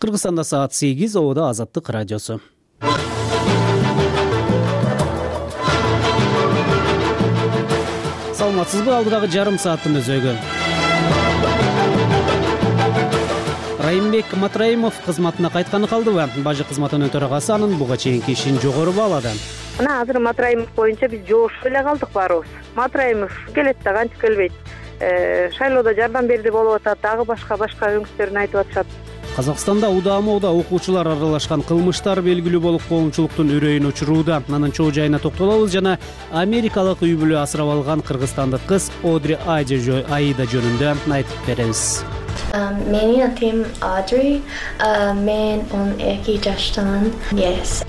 Кыргызстанда саат 8, Ободо Азаттык радиосу. Саламатсызбы? Алдыдагы жарым сааттын өзөгү. Райымбек Матраимов кызматына кайтканы калдыбы? Бажы кызматынын төрагасы анын буга чейинки ишин жогору баалады. Мына азыр Матраимов боюнча биз жоошуп эле калдык баарыбыз. Матраимов келет да кантип келбейт. Шайлоодо жардам берди болуп атат, дагы башка өңүштөрүн айтып атышат. Казакстанда удаа-муда окуучулар аралашкан кылмыштар белгилүү болуп коомчулуктун үрөйүн учурууда. Анын чоо жайына токтолобуз жана америкалык үй бүлө асырап алган кыргызстандык кыз Одри Аида жөнүндө айтып беребиз. Менин атым Одри. Мен 12 жаштамын. Yes.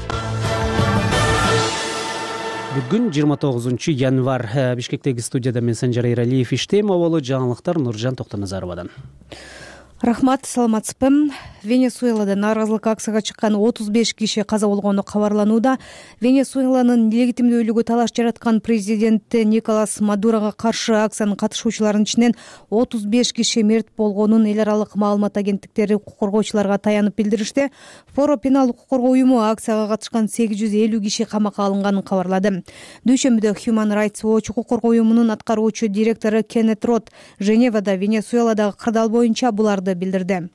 Бүгүн 29 январь. Бишкектеги студияда мен Санжар Эралиев иштейм. Оболу жаңылыктар Нуржан Токтоназаровадан. Рахмат, саламатсызбы. Венесуэлада нааразылык акцияга чыккан 35 киши каза болгону кабарланууда. Венесуэланын легитимдүүлүгү талаш жараткан президент Николас Мадурога каршы акциянын катышуучуларынын ичинен 35 киши мерт болгонун эл аралык маалымат агенттиктери укук коргоочуларга таянып билдиришти. Форо пенал укук коргоо уюму акцияга катышкан 850 киши камакка алынганын кабарлады. Дүйшөмбүдө Human Rights Watch укук коргоо уюмунун аткаруучу директору Кеннет Рот Женевада Венесуэладагы кырдаал боюнча буларды билдирди.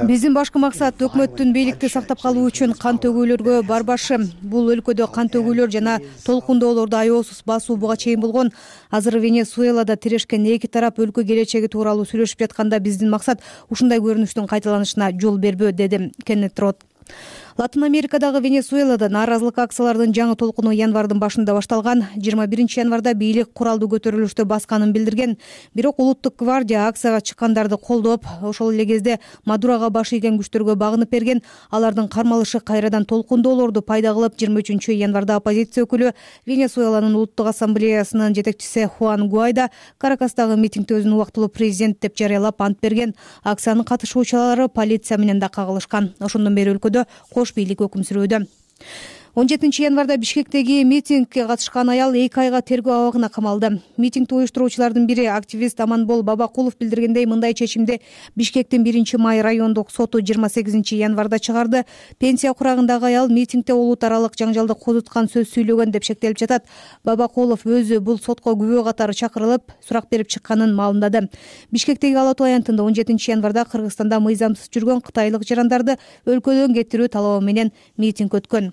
Биздин башкы максат өкмөттүн бийликти сактап калуу үчүн кан төгүүлөргө барбашы. Бул өлкөдө кан төгүүлөр жана толкундоолорду аеосуз басуу буга чейин болгон. Азыр Венесуэлада тирешкен эки тарап өлкө келечеги тууралуу сүйлөшүп жатканда биздин максат ушундай көрүнүштүн кайталанышына жол бербөө, деди Кеннет Рот. Латын Америкадагы Венесуэлада нааразылык акциялардын жаңы толкуну январдын башында башталган. 21 январда бийлик куралдуу көтөрүлүштү басканын билдирген. Бирок улуттук гвардия акцияга чыккандарды колдоп, ошол эле кезде Мадурага баш ийген күчтөргө багынып берген. Алардын кармалышы кайрадан толкундоолорду пайда кылып, 23 январда оппозиция өкүлү Венесуэланын улуттук ассамблеясынын жетекчиси Хуан Гуайдо Каракастагы митингде өзүн убактылуу президент деп жарыялап ант берген. Акциянын катышуучулары полиция менен да кагылышкан. Ошондон бери өлкөдө бийлик өкүм сүрүүдө. 17 январда Бишкектеги митингге катышкан аял 2 айга тергөө абагына камалды. Митингди уюштуруучулардын бири активист Аманбол Бабакулов билдиргендей, мындай чечимди Бишкектин 1-май райондук соту 28 январда чыгарды. Пенсия курагындагы аял митингде улут аралык жаңжалды козуткан сөз сүйлөгөн деп шектелип жатат. Бабакулов өзү бул сотко күбө катары чакырылып, сурак берип чыкканын маалымдады. Бишкектеги Ала Тоо аянтында 17 январда Кыргызстанда мыйзамсыз жүргөн кытайлык жарандарды өлкөдөн кетирүү талабы менен митинг өткөн.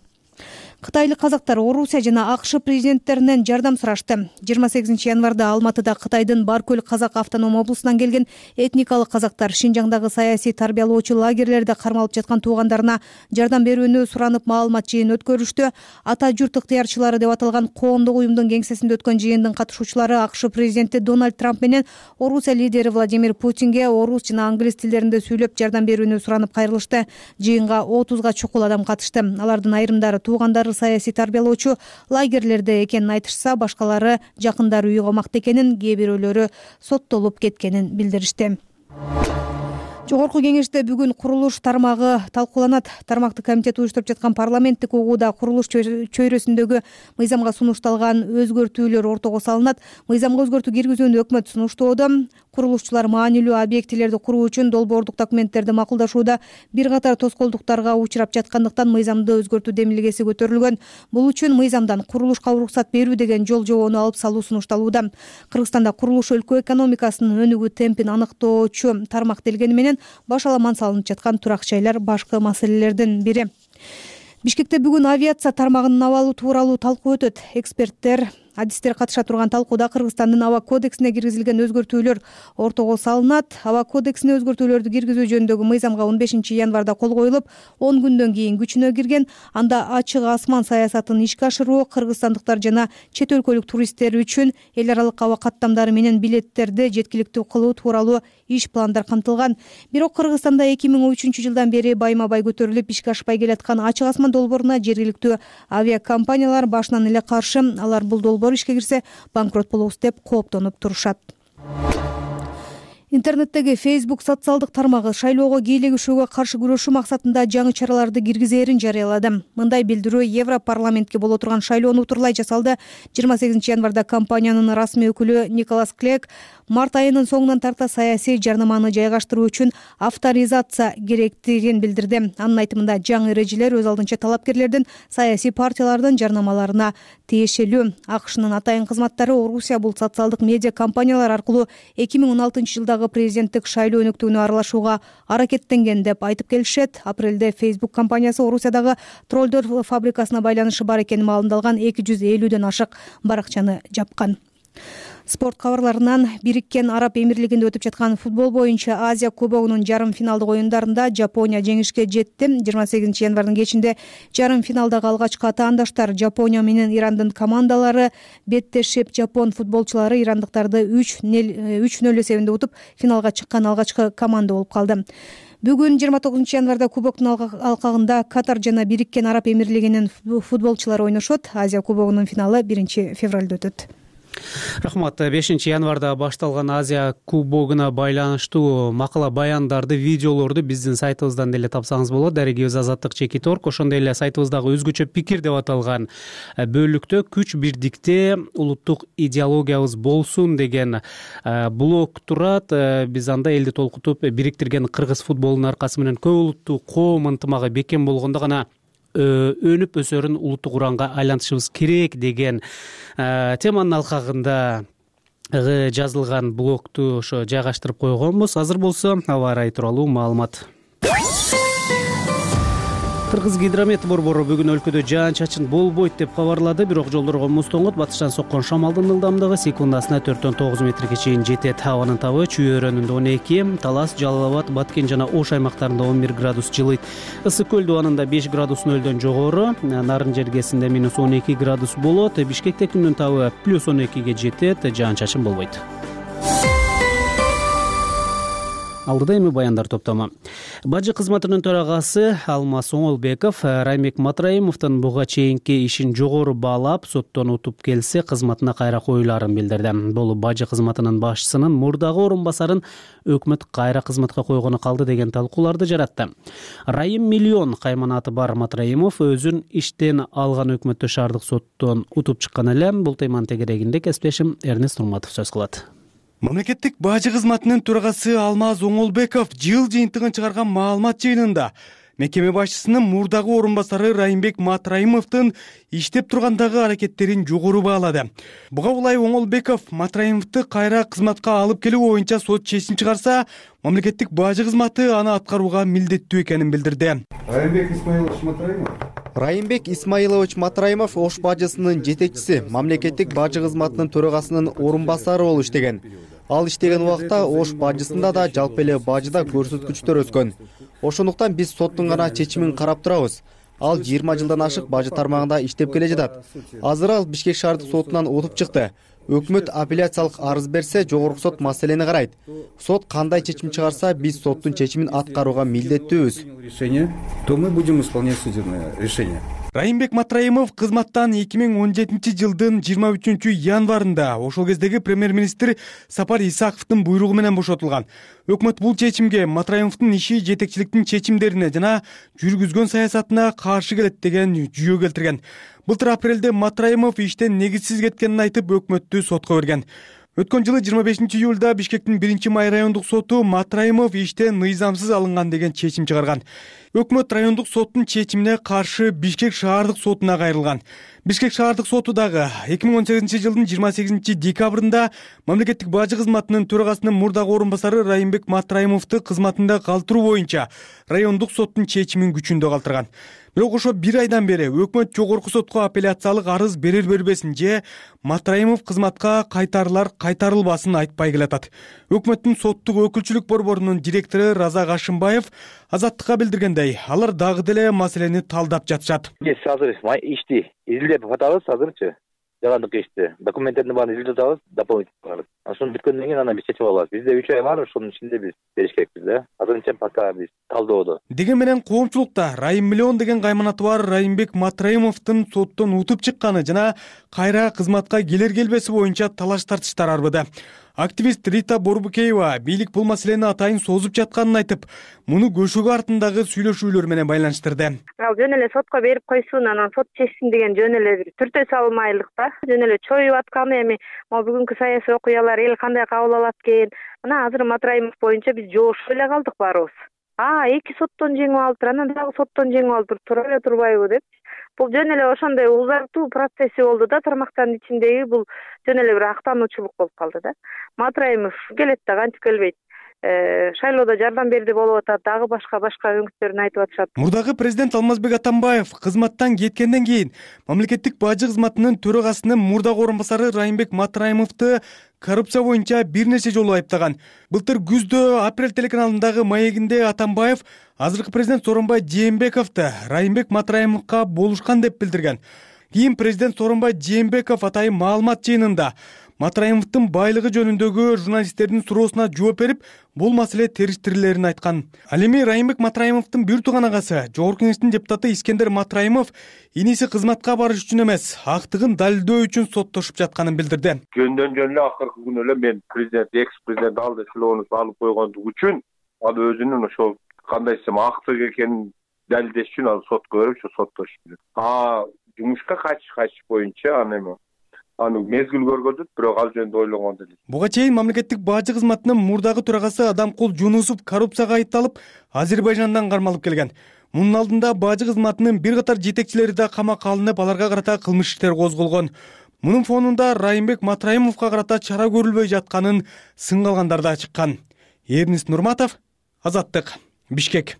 Кытайлык казактар Орусия жана АКШ президенттеринен жардам сурашты. 28 январда Алматыда Кытайдын Баркөл казак автоном облусунан келген этникалык казактар Шинжаңдагы саясий тарбиялоочу лагерлерде кармалып жаткан туугандарына жардам берүүнү суранып маалымат жыйын өткөрүштү. Ата журт ыктыярчылары деп аталган коомдук уюмдун кеңсесинде өткөн жыйындын катышуучулары АКШ президенти Дональд Трамп менен Орусия лидери Владимир Путинге орус жана англис тилдеринде сүйлөп жардам берүүнү суранып кайрылышты. Жыйынга 30га чукул адам катышты. Алардын айрымдары туугандары саясий тарбиялоочу лагерлерде экенин айтышса, башкалары жакындары үй камакта экенин, кээ бирөөлөрү соттолуп кеткенин билдиришти. Жогорку кеңеште бүгүн курулуш тармагы талкууланат. Тармактык комитет уюштуруп жаткан парламенттик угууда курулуш чөйрөсүндөгү мыйзамга сунушталган өзгөртүүлөр ортого салынат. Мыйзамга өзгөртүү киргизүүнү өкмөт сунуштоодо. Курулушчулар маанилүү объектилерди куруу үчүн долбоордук документтерди макулдашууда бир катар тоскоолдуктарга учурап жаткандыктан мыйзамды өзгөртүү демилгеси көтөрүлгөн. Бул үчүн мыйзамдан курулушка уруксат берүү деген жол жобону алып салуу сунушталууда. Кыргызстанда курулуш өлкө экономикасынын өнүгүү темпин аныктоочу тармак делгени менен баш аламан салынып жаткан турак жайлар башкы маселелердин бири. Бишкекте бүгүн авиация тармагынын абалы тууралуу талкуу өтөт. Эксперттер, адистер катыша турган талкууда Кыргызстандын аба кодексине киргизилген өзгөртүүлөр ортого салынат. Аба кодексине өзгөртүүлөрдү киргизүү жөнүндөгү мыйзамга 15 январда кол коюлуп, 10 күндөн кийин күчүнө кирген. Анда ачык асман саясатын ишке ашыруу, кыргызстандыктар жана чет өлкөлүк туристтер үчүн эл аралык аба каттамдары менен билеттерди жеткиликтүү кылуу тууралуу иш пландар камтылган. Бирок Кыргызстанда 2003 жылдан бери байма-бай көтөрүлүп ишке ашпай келаткан ачык асман долбооруна жергиликтүү авиакомпаниялар башынан эле каршы. Алар бул долбоор ишке кирсе банкрот болобуз деп кооптонуп турушат. Интернеттеги Facebook социалдык тармагы шайлоого кийлигишүүгө каршы күрөшүү максатында жаңы чараларды киргизээрин жарыялады. Мындай билдирүү Европарламентке боло турган шайлоону утурлай жасалды. 28 январда компаниянын расмий өкүлү Николас Клек март айынын соңунан тарта саясий жарнаманы жайгаштыруу үчүн авторизация керектигин билдирди. Анын айтымында жаңы эрежелер өз алдынча талапкерлердин саясий партиялардын жарнамаларына тиешелүү. АКШнын атайын кызматтары Орусия бул социалдык медиа компаниялар аркылуу 2016 жылдагы президенттик шайлоо өнөктүгүнө аралашууга аракеттенген деп айтып келишет. Апрелде Facebook компаниясы Орусиядагы троллдор фабрикасына байланышы бар экени маалымдалган 250ден ашык баракчаны жапкан. Спорт кабарларынан Бириккен Араб Эмирлигинде өтүп жаткан футбол боюнча Азия кубогунун жарым финалдык оюндарында Жапония жеңишке жетти. 28 январдын кечинде жарым финалдагы алгачкы атаандаштар Жапония менен Ирандын командалары беттешип, жапон футболчулары ирандыктарды 3-0 эсебинде утуп финалга чыккан алгачкы команда болуп калды. Бүгүн 29 январда кубоктун алкагында Катар жана Бириккен Араб Эмирлигинин футболчулары ойношот. Азия кубогунун финалы 1-февралда өтөт. Рахмат. 5 январда башталган Азия кубогуна байланыштуу макала баяндарды, видеолорду биздин сайтыбыздан деле тапсаңыз болот. Дарегибиз Азаттык Чекит.org, ошондой эле сайтыбыздагы өзгөчө пикир деп аталган бөлүктө күч бирдикте улуттук идеологиябыз болсун деген блог турат. Биз анда элди толкутуп бириктирген кыргыз футболунун аркасы менен көп улуттуу коом ынтымагы бекем болгондо гана өнүп өсөрүн улуттук уранга айлантышыбыз керек деген теманын алкагында жазылган блогту ошо жайгаштырып койгонбуз. Азыр болсо аба ырайы тууралуу маалымат. Кыргыз гидромет борбору бүгүн өлкөдө жаан-чачын болбойт деп кабарлады, бирок жолдорго муз тоңот, батыштан соккон шамалдын ылдамдыгы секундасына 4-9 метрге чейин жетет. Абанын табы Чүй өрөөнүндө 12, Талас, Жалал Абад, Баткен жана Ош аймактарында 11 градус жылыйт. Ысык көл дубанында 5 градус нөлдөн жогору, Нарын жергесинде -12 градус болот. Бишкекте күндүн табы +12ге жетет, жаан-чачын болбойт. Алдыда эми баяндар топтому. Бажы кызматынын төрагасы Алмаз Оңолбеков Райымбек Матраимовдун буга чейинки ишин жогору баалап, соттон утуп келсе кызматына кайра коюларын билдирди. Бул бажы кызматынын башчысынын мурдагы орун-басарын өкмөт кайра кызматка койгону калды деген талкууларды жаратты. Райым миллион кайманаты бар Матраимов өзүн иштен алган өкмөттү шаардык соттон утуп чыккан эле. Бул теманын тегерегинде кесиптешим Эрнест Нурматов сөз кылат. Мамлекеттик бажы кызматынын төрагасы Алмаз Оңолбеков жыл жыйынтыгын чыгарган маалымат жыйынында мекеме башчысынын мурдагы орун-басары Райымбек Матраимовдун иштеп тургандагы аракеттерин жогору баалады. Буга улай Оңолбеков Матраимовду кайра кызматка алып келүү боюнча сот чечим чыгарса, мамлекеттик бажы кызматы аны аткарууга милдеттүү экенин билдирди. Райымбек Исмаилович Матраимов Ош бажысынын жетекчиси, мамлекеттик бажы кызматынын төрагасынын орун-басары болуп иштеген. Ал иштеген убакта Ош бажысында да жалпы эле бажыда көрсөткүчтөр өскөн. Ошондуктан биз соттун гана чечимин карап турабыз. Ал 20 жылдан ашык бажы тармагында иштеп келе жатат. Азыр ал Бишкек шаардык сотунан утуп чыкты. Өкмөт апелляциялык арыз берсе, жогорку сот маселени карайт. Сот кандай чечим чыгарса, биз соттун чечимин аткарууга милдеттүүбүз. То мы будем исполнять судебное решение. Райымбек Матраимов кызматтан 2017 жылдын 23 январында ошол кездеги премьер-министр Сапар Исаковдун буйругу менен бошотулган. Өкмөт бул чечимге Матраимовдун иши жетекчиликтин чечимдерине жана жүргүзгөн саясатына каршы келет деген жүйө келтирген. Былтыр апрелде Матраимов иштен негизсиз кеткенин айтып, өкмөттү сотко берген. Өткөн жылы 25 июлда Бишкектин 1-май райондук соту Матраимов иштен мыйзамсыз алынган деген чечим чыгарган. Өкмөт райондук соттун чечимине каршы Бишкек шаардык сотуна кайрылган. Бишкек шаардык соту дагы 2018 жылдын 28 декабрында мамлекеттик бажы кызматынын төрагасынын мурдагы орун-басары Райымбек Матраимовду кызматында калтыруу боюнча райондук соттун чечимин күчүндө калтырган. Бирок ошо 1 айдан бери өкмөт жогорку сотко апелляциялык арыз берер-бербесин же Матраимов кызматка кайтарылбасын айтпай келатат. Өкмөттүн соттук өкүлчүлүк борборунун директору Разак Ашымбаев Азаттыкка билдиргендей, алар дагы деле маселени талдап жатышат. Биз азыр ишти изилдеп атабыз азырчы. Жагандык ишти. Документтердин баарын изилдеп атабыз, дополнительный. Ошону бүткөндөн кийин анан биз чечип алабыз. Бизде 3 ай бар, ошонун ичинде биз бериш керекпиз да. Азырынча пока биз талдоодо. Деген менен коомчулукта Райым миллион деген кайманаты бар Райымбек Матраимовдун соттон утуп чыкканы жана кайра кызматка келер келбеси боюнча талаш тартыштар арбыды. Активист Рита Борбукеева бийлик бул маселени атайын созуп жатканын айтып, муну көшөгө артындагы сүйлөшүүлөр менен байланыштырды. Ал жөн эле сотко берип койсун, анан сот чечсин деген жөн эле бир түртө салмайлык да. Жөн эле чоюп атканы эми могу бүгүнкү саясий окуялар эл кандай кабыл алат экен. Мына азыр Матраимов боюнча биз жоошуп эле калдык баарыбыз. Эки соттон жеңип алыптыр, анан дагы соттон жеңип алыптыр, тура эле турбайбы деп. Бул жөн эле ошондой узартуу процесси болду да, тармактардын ичиндеги бул жөн эле бир актануучулук болуп калды да. Матраимов келет да кантип келбейт. Шайлоодо жардам берди болуп атат, дагы башка өңүттөрүн айтып атышат. Мурдагы президент Алмазбек Атамбаев кызматтан кеткенден кийин мамлекеттик бажы кызматынын төрагасынын мурдагы орун басары Райымбек Матраимовду коррупция боюнча бир нече жолу айыптаган. Былтыр күздө Апрель телеканалындагы маегинде Атамбаев азыркы президент Сооронбай Жээнбековду Райымбек Матраимовго болушкан деп билдирген. Кийин президент Сооронбай Жээнбеков атайын маалымат жыйынында Матраимовдун байлыгы жөнүндөгү журналисттердин суроосуна жооп берип, бул маселе териштирилерин айткан. Ал эми Райымбек Матраимовдун бир тууган агасы, Жогорку Кеңештин депутаты Искендер Матраимов иниси кызматка барыш үчүн эмес, актыгын далилдөө үчүн соттошуп жатканын билдирди. Жөндөн жөн эле акыркы күнү эле мен президент, экс-президент алды шилоонусу алып койгондугу үчүн ал өзүнүн ошол кандай десем актык экенин далилдеш үчүн ал сотко берип, ошо соттошуп. Жумушка качыш боюнча аны мезгил көргөзүп, бирок ал жөнүндө ойлонгон эле. Буга чейин мамлекеттик бажы кызматынын мурдагы төрагасы Адамкул Жунусов коррупцияга айыпталып, Азербайжандан кармалып келген. Мунун алдында бажы кызматынын бир катар жетекчилери да камакка алынып, аларга карата кылмыш иштер козголгон. Мунун фонунда Райымбек Матраимовго карата чара көрүлбөй жатканын сынга алгандар да чыккан. Эрнист Нурматов, Азаттык, Бишкек.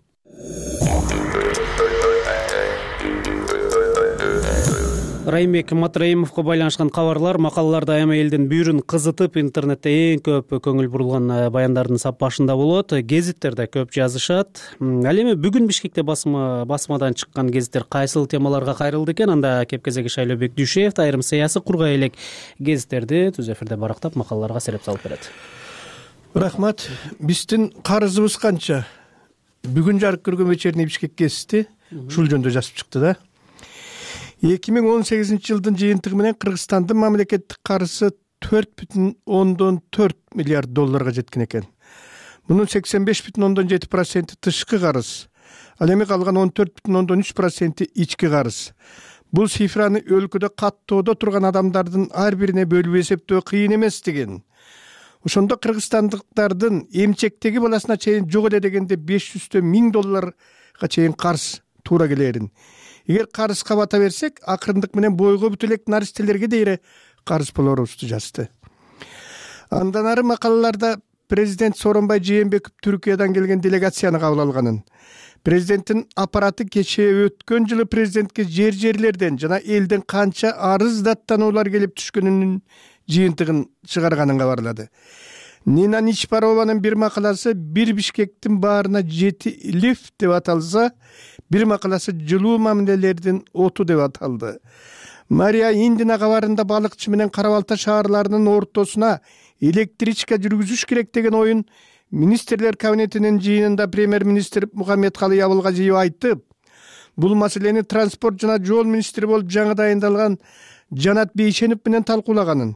Райымбек Матраимовго байланышкан кабарлар, макалалар дайыма элдин бүйүрүн кызытып, интернетте эң көп көңүл бурулган баяндардын сап башында болот. Гезиттерде көп жазышат. Ал эми бүгүн Бишкекте басмадан чыккан гезиттер кайсыл темаларга кайрылды экен? Анда кепкезеги Шайлообек Дүйшеев айрым саясий кургай элек гезиттерди түз эфирде барактап макалаларга сереп салып берет. Рахмат. Биздин карызыбыз канча? Бүгүн жарык көргөн вечерний Бишкек гезити ушул жөнүндө жазып чыкты да. 2018 жылдын жыйынтыгы менен Кыргызстандын мамлекеттик карызы 4,4 миллиард долларга жеткен экен. Мунун 85,7% тышкы карыз. Ал эми калган 14,3% ички карыз. Бул цифраны өлкөдө каттоодо турган адамдардын ар бирине бөлүп эсептөө кыйын эмес деген. Ошондо кыргызстандыктардын эмчектеги баласына чейин жок эле дегенде 500 1000 долларга чейин карыз туура келерин. Эгер карызга бата берсек, акырындык менен бойго бүт элек наристелерге дейре карыз болорубузду жазды. Андан ары макалаларда президент Сооронбай Жээнбеков Түркиядан келген делегацияны кабыл алганын, президенттин аппараты кечээ өткөн жылы президентке жерлерден жана элден канча арыз даттануулар келип түшкөнүнүн жыйынтыгын чыгарганын кабарлады. Нина Ничпарованын бир макаласы «Бир Бишкектин баарына 7 лифт» деп аталса, бир макаласы «Жылуу мамилелердин оту» деп аталды. Мария Индина кабарында балыкчы менен Кара-Балта шаарларынын ортосуна электричка жүргүзүш керек деген оюн министрлер кабинетинин жыйынында премьер-министр Мухаммедкалый Абылгазиев айтып, бул маселени транспорт жана жол министри болуп жаңы дайындалган Жанат Бейшенов менен талкуулаганын.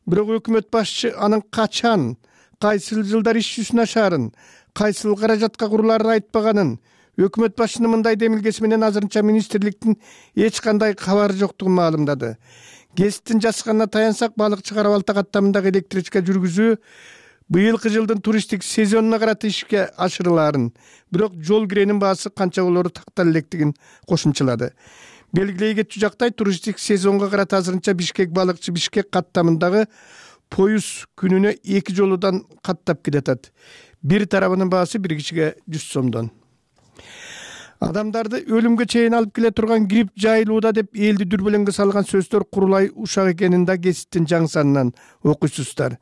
Бирок өкмөт башчы анын качан, кайсыл жылдар иш жүзүнө ашарын, кайсыл каражатка куруларын айтпаганын, өкмөт башчынын мындай демилгеси менен азырынча министрликтин эч кандай кабары жоктугун маалымдады. Гезиттин жазганына таянсак, балыкчы Кара-Балта каттамындагы электричка жүргүзүү быйылкы жылдын туристтик сезонуна карата ишке ашырылаарын, бирок жол киренин баасы канча болору тактала электигин кошумчалады. Белгилей кетчү жактай туристтик сезонго карата азырынча Бишкек балыкчы Бишкек каттамындагы поюз күнүнө 2 жолудан каттап келатат. Бир тарабынын баасы бир кишиге 100 сомдон. Адамдарды өлүмгө чейин алып келе турган грипп жайылууда деп элди дүрбөлөңгө салган сөздөр курулай ушак экенин да гезиттин жаңы санынан окуйсуздар.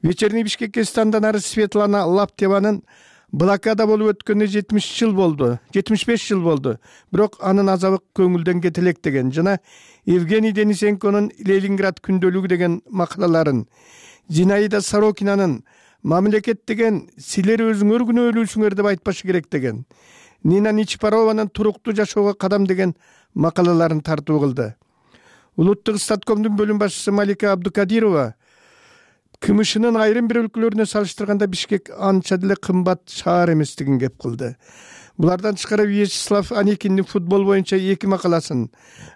Вечерний Бишкек гезитинен ары Светлана Лаптеванын блокада болуп өткөнүнө 75 жыл болду. Бирок анын азабы көңүлдөн кете элек деген жана Евгений Денисенконун Ленинград күндөлүгү деген макалаларын, Зинаида Сорокинанын мамлекет деген силер өзүңөр күнөөлүүсүңөр деп айтпашы керек деген, Нина Ничпарованын туруктуу жашоого кадам деген макалаларын тартуу кылды. Улуттук статкомдун бөлүм башчысы Малика Абдукадирова КМШнын айрым бир өлкөлөрүнө салыштырганда Бишкек анча деле кымбат шаар эместигин кеп кылды. Булардан тышкары Вячеслав Аникиндин футбол боюнча 2 макаласын,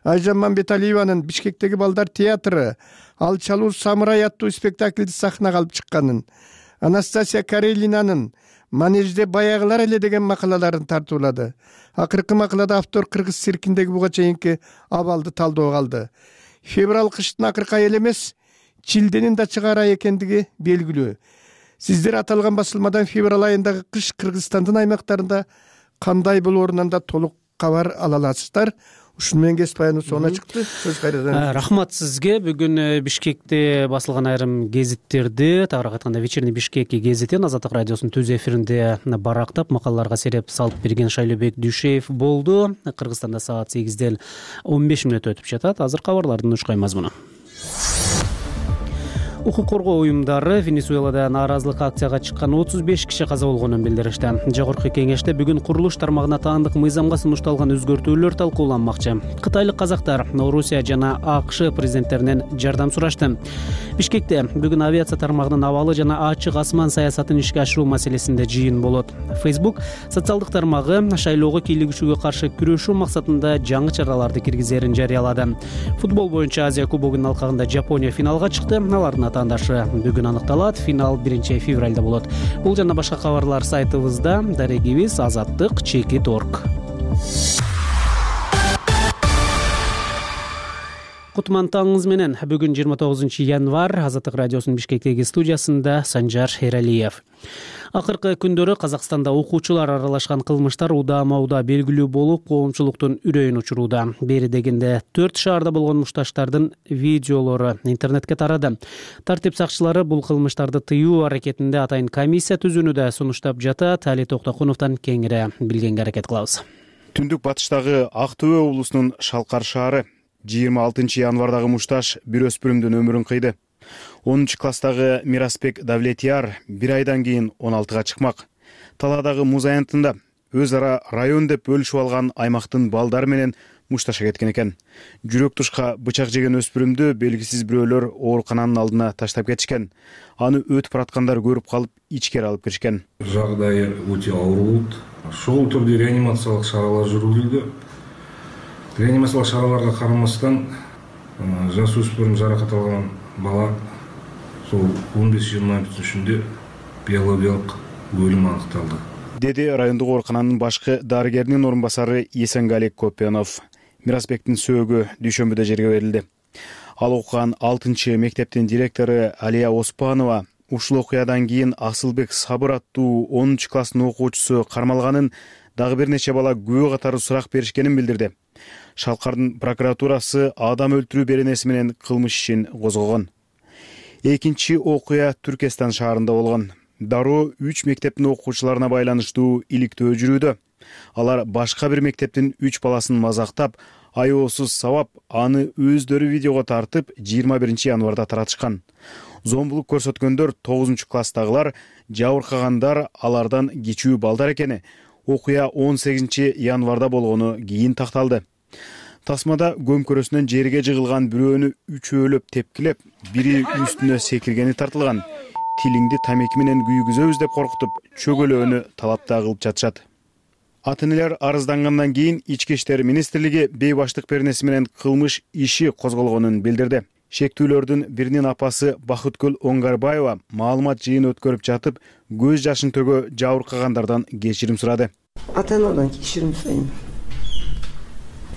Айжан Мамбеталиеванын Бишкектеги балдар театры Алчалуу самурай аттуу спектакльди сахнага алып чыкканын, Анастасия Карелинанын Манежде баягылар эле деген макалаларын тартуулады. Акыркы макалада автор кыргыз циркиндеги буга чейинки абалды талдоого алды. Февраль кыштын акыркы айы эле эмес, чилденин да чыгаар ай экендиги белгилүү. Сиздер аталган басылмадан февраль айындагы кыш Кыргызстандын аймактарында кандай болоорунан да толук кабар ала аласыздар. Ушуну менен кесип баяныбыз соңуна чыкты. Сөз кайрадан. Рахмат сизге. Бүгүн Бишкекте басылган айрым гезиттерди, тагыраак айтканда Вечерний Бишкек гезитин Азаттык радиосунун түз эфиринде барактап макалаларга сереп салып берген Шайлообек Дүйшеев болду. Кыргызстанда саат 8-ден 15 мүнөт өтүп жатат. Азыр кабарлардын ушкай мазмуну. Укук коргоо уюмдары Венесуэлада нааразылык акцияга чыккан 35 киши каза болгонун билдиришти. Жогорку кеңеште бүгүн курулуш тармагына таандык мыйзамга сунушталган өзгөртүүлөр талкууланмакчы. Кытайлык казактар Орусия жана АКШ президенттеринен жардам сурашты. Бишкекте бүгүн авиация тармагынын абалы жана ачык асман саясатын ишке ашыруу маселесинде жыйын болот. Facebook социалдык тармагы шайлоого кийлигишүүгө каршы күрөшүү максатында жаңы чараларды киргизерин жарыялады. Футбол боюнча Азия кубогунун алкагында Жапония финалга чыкты. Алардын атаандашы бүгүн аныкталат. Финал 1-февралда болот. Бул жана башка кабарлар сайтыбызда. Дарегибиз azаттык.org. Кутман таңыңыз менен. Бүгүн 29 январь. Азаттык радиосунун Бишкектеги студиясында Санжар Эралиев. Акыркы күндөрү Казакстанда окуучулар аралашкан кылмыштар удаама-удаа белгилүү болуп, коомчулуктун үрөйүн учурууда. Бери дегенде 4 шаарда болгон мушташтардын видеолору интернетке тарады. Тартип сакчылары бул кылмыштарды тыюу аракетинде атайын комиссия түзүүнү да сунуштап жатат. Али Токтокуновдон кеңири билгенге аракет кылабыз. Түндүк батыштагы Ак Төбө облусунун Шалкар шаары 26 январдагы мушташ бир өспүрүмдүн өмүрүн кыйды. 10 класстагы Мирасбек Давлетияр 1 айдан кийин 16-га чыкмак. Таладагы муз аянтында өз ара район деп бөлүшүп алган аймактын балдары менен мушташа кеткен экен. Жүрөк тушка бычак жеген өспүрүмдү белгисиз бирөөлөр оорукананын алдына таштап кетишкен. Аны өтүп бараткандар көрүп калып, ичкери алып киришкен. Жагдайы өтө оор болот. Ошол түрдө реанимациялык чаралар жүргүзүлдү. Реанимациялык чараларга карамастан жаш өспүрүм жаракат алган бала сол 15-20 түшүндө биологиялык өлүм аныкталды. Деди райондук оорукананын башкы дарыгеринин орун басары Есенгалик Копенов. Мирасбектин сөөгү дүйшөмбүдө жерге берилди. Ал окуган 6-мектептин директору Алия Оспанова ушул окуядан кийин Асылбек Сабыр аттуу 10 класстын окуучусу кармалганын, дагы бир нече бала күбө катары сурак беришкенин билдирди. Шалкардын прокуратурасы адам өлтүрүү беренеси менен кылмыш ишин козгогон. Экинчи окуя Түркестан шаарында болгон. Дароо 3 мектептин окуучуларына байланыштуу иликтөө жүрүүдө. Алар башка бир мектептин 3 баласын мазактап, аеосуз сабап, аны өздөрү видеого тартып 21 январда таратышкан. Зомбулук көрсөткөндөр 9 класстагылар, жабыркагандар алардан кичүү балдар экени окуя 18 январда болгону кийин такталды. Тасмада көмкөрөсүнөн жерге жыгылган бирөөнү үчөөлөп тепкилеп, бири үстүнө секиргени тартылган. Тилиңди тамеки менен күйгүзөбүз деп коркутуп, чөгөлөөнү талапта кылып жатышат. Ата-энелер арыздангандан кийин Ички иштер министрлиги бейбаштык беренеси менен кылмыш иши козголгонун билдирди. Шектүүлөрдүн биринин апасы Бакыткүл Оңгарбаева маалымат жыйын өткөрүп жатып, көз жашын төгө жабыркагандардан кечирим сурады. Ата-энадан кечирим сурайм.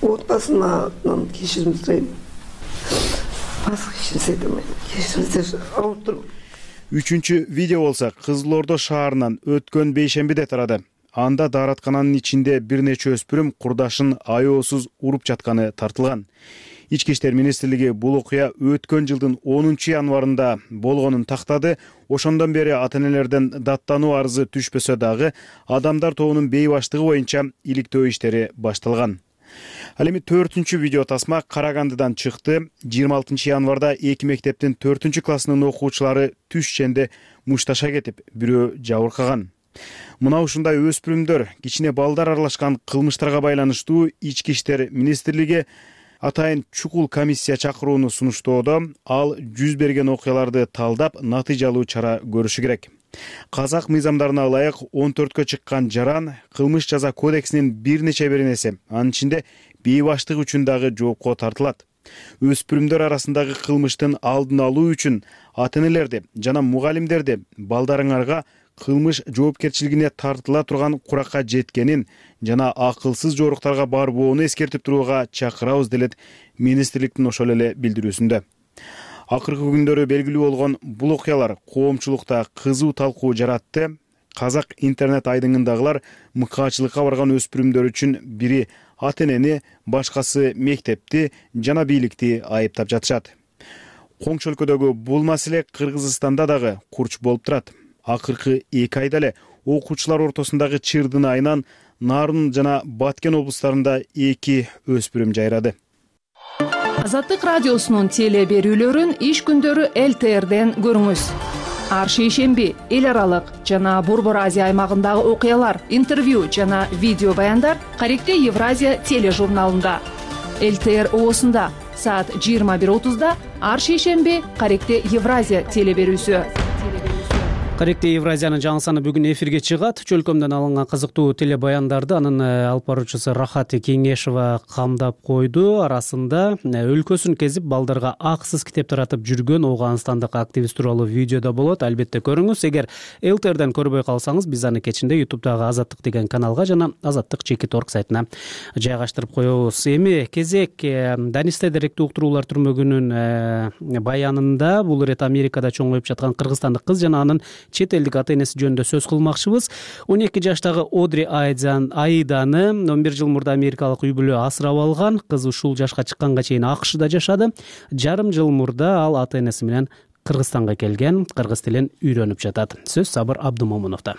Отбасымдан кечирим сурайм. Башка эч нерсе айта албайм. Кечириңиздер, ауырып турмун. Үчүнчү видео болсо Кызыл Ордо шаарынан өткөн бейшембиде тарады. Анда даараткананын ичинде бир нече өспүрүм курдашын аеосуз уруп жатканы тартылган. Ички иштер министрлиги бул окуя өткөн жылдын 10 январында болгонун тактады. Ошондон бери ата-энелерден даттануу арызы түшпөсө дагы адамдар тобунун бейбаштыгы боюнча иликтөө иштери башталган. Ал эми 4-чү видео тасма Карагандыдан чыкты. 26 январда 2 мектептин 4 классынын окуучулары түш ченде мушташа кетип, бирөө жабыркаган. Мына ушундай өспүрүмдөр, кичине балдар аралашкан кылмыштарга байланыштуу Ички иштер министрлиги Атайын чукул комиссия чакырууну сунуштоодо ал жүз берген окуяларды талдап натыйжалуу чара көрүшү керек. Казак мыйзамдарына ылайык 14кө чыккан жаран кылмыш жаза кодексинин бир нече беренеси, анын ичинде бейбаштык үчүн дагы жоопко тартылат. Өспүрүмдөр арасындагы кылмыштын алдын алуу үчүн ата-энелерди жана мугалимдерди балдарыңарга кылмыш жоопкерчилигине тартыла турган куракка жеткенин жана акылсыз жоруктарга барбоону эскертип турууга чакырабыз делет министрликтин ошол эле билдирүүсүндө. Акыркы күндөрү белгилүү болгон бул окуялар коомчулукта кызуу талкуу жаратты. Казак интернет айдыңындагылар мыкаачылыкка барган өспүрүмдөр үчүн бири ата-энени, башкасы мектепти жана бийликти айыптап жатышат. Коңшу өлкөдөгү бул маселе Кыргызстанда дагы курч болуп турат. Акыркы 2 айда эле окуучулар ортосундагы чырдын айынан Нарын жана Баткен облустарында 2 өспүрүм жайрады. Азаттык радиосунун теле берүүлөрүн иш күндөрү ЛТРден көрүңүз. Ар шейшемби эл аралык жана Борбор Азия аймагындагы окуялар, интервью жана видео баяндар Каректе Евразия тележурналында. ЛТР оосунда саат 21:30 ар шейшемби Каректе Евразия теле берүүсү. Каректе Евразиянын жаңы саны бүгүн эфирге чыгат. Чөлкөмдөн алынган кызыктуу теле баяндарды анын алып баруучусу Рахат Кеңешова камдап койду. Арасында өлкөсүн кезип балдарга акысыз китеп таратып жүргөн Ооганстандык активист тууралуу видео да болот. Албетте көрүңүз. Эгер ЛТРден көрбөй калсаңыз, биз аны кечинде YouTube'дагы Азаттык деген каналга жана azattik.org сайтына жайгаштырып коебуз. Эми кезек Данисте даректүү уктуруулар түрмөгүнүн баянында бул ирет Америкада чоңоюп жаткан кыргызстандык кыз жана анын чет элдик ата-энеси жөнүндө сөз кылмакчыбыз. 12 жаштагы Одри Айданы 11 жыл мурда америкалык үй бүлө асырап алган. Кыз ушул жашка чыкканга чейин АКШда жашады. Жарым жыл мурда ал ата-энеси менен Кыргызстанга келген, кыргыз тилин үйрөнүп жатат. Сөз Сабыр Абдумомуновдо.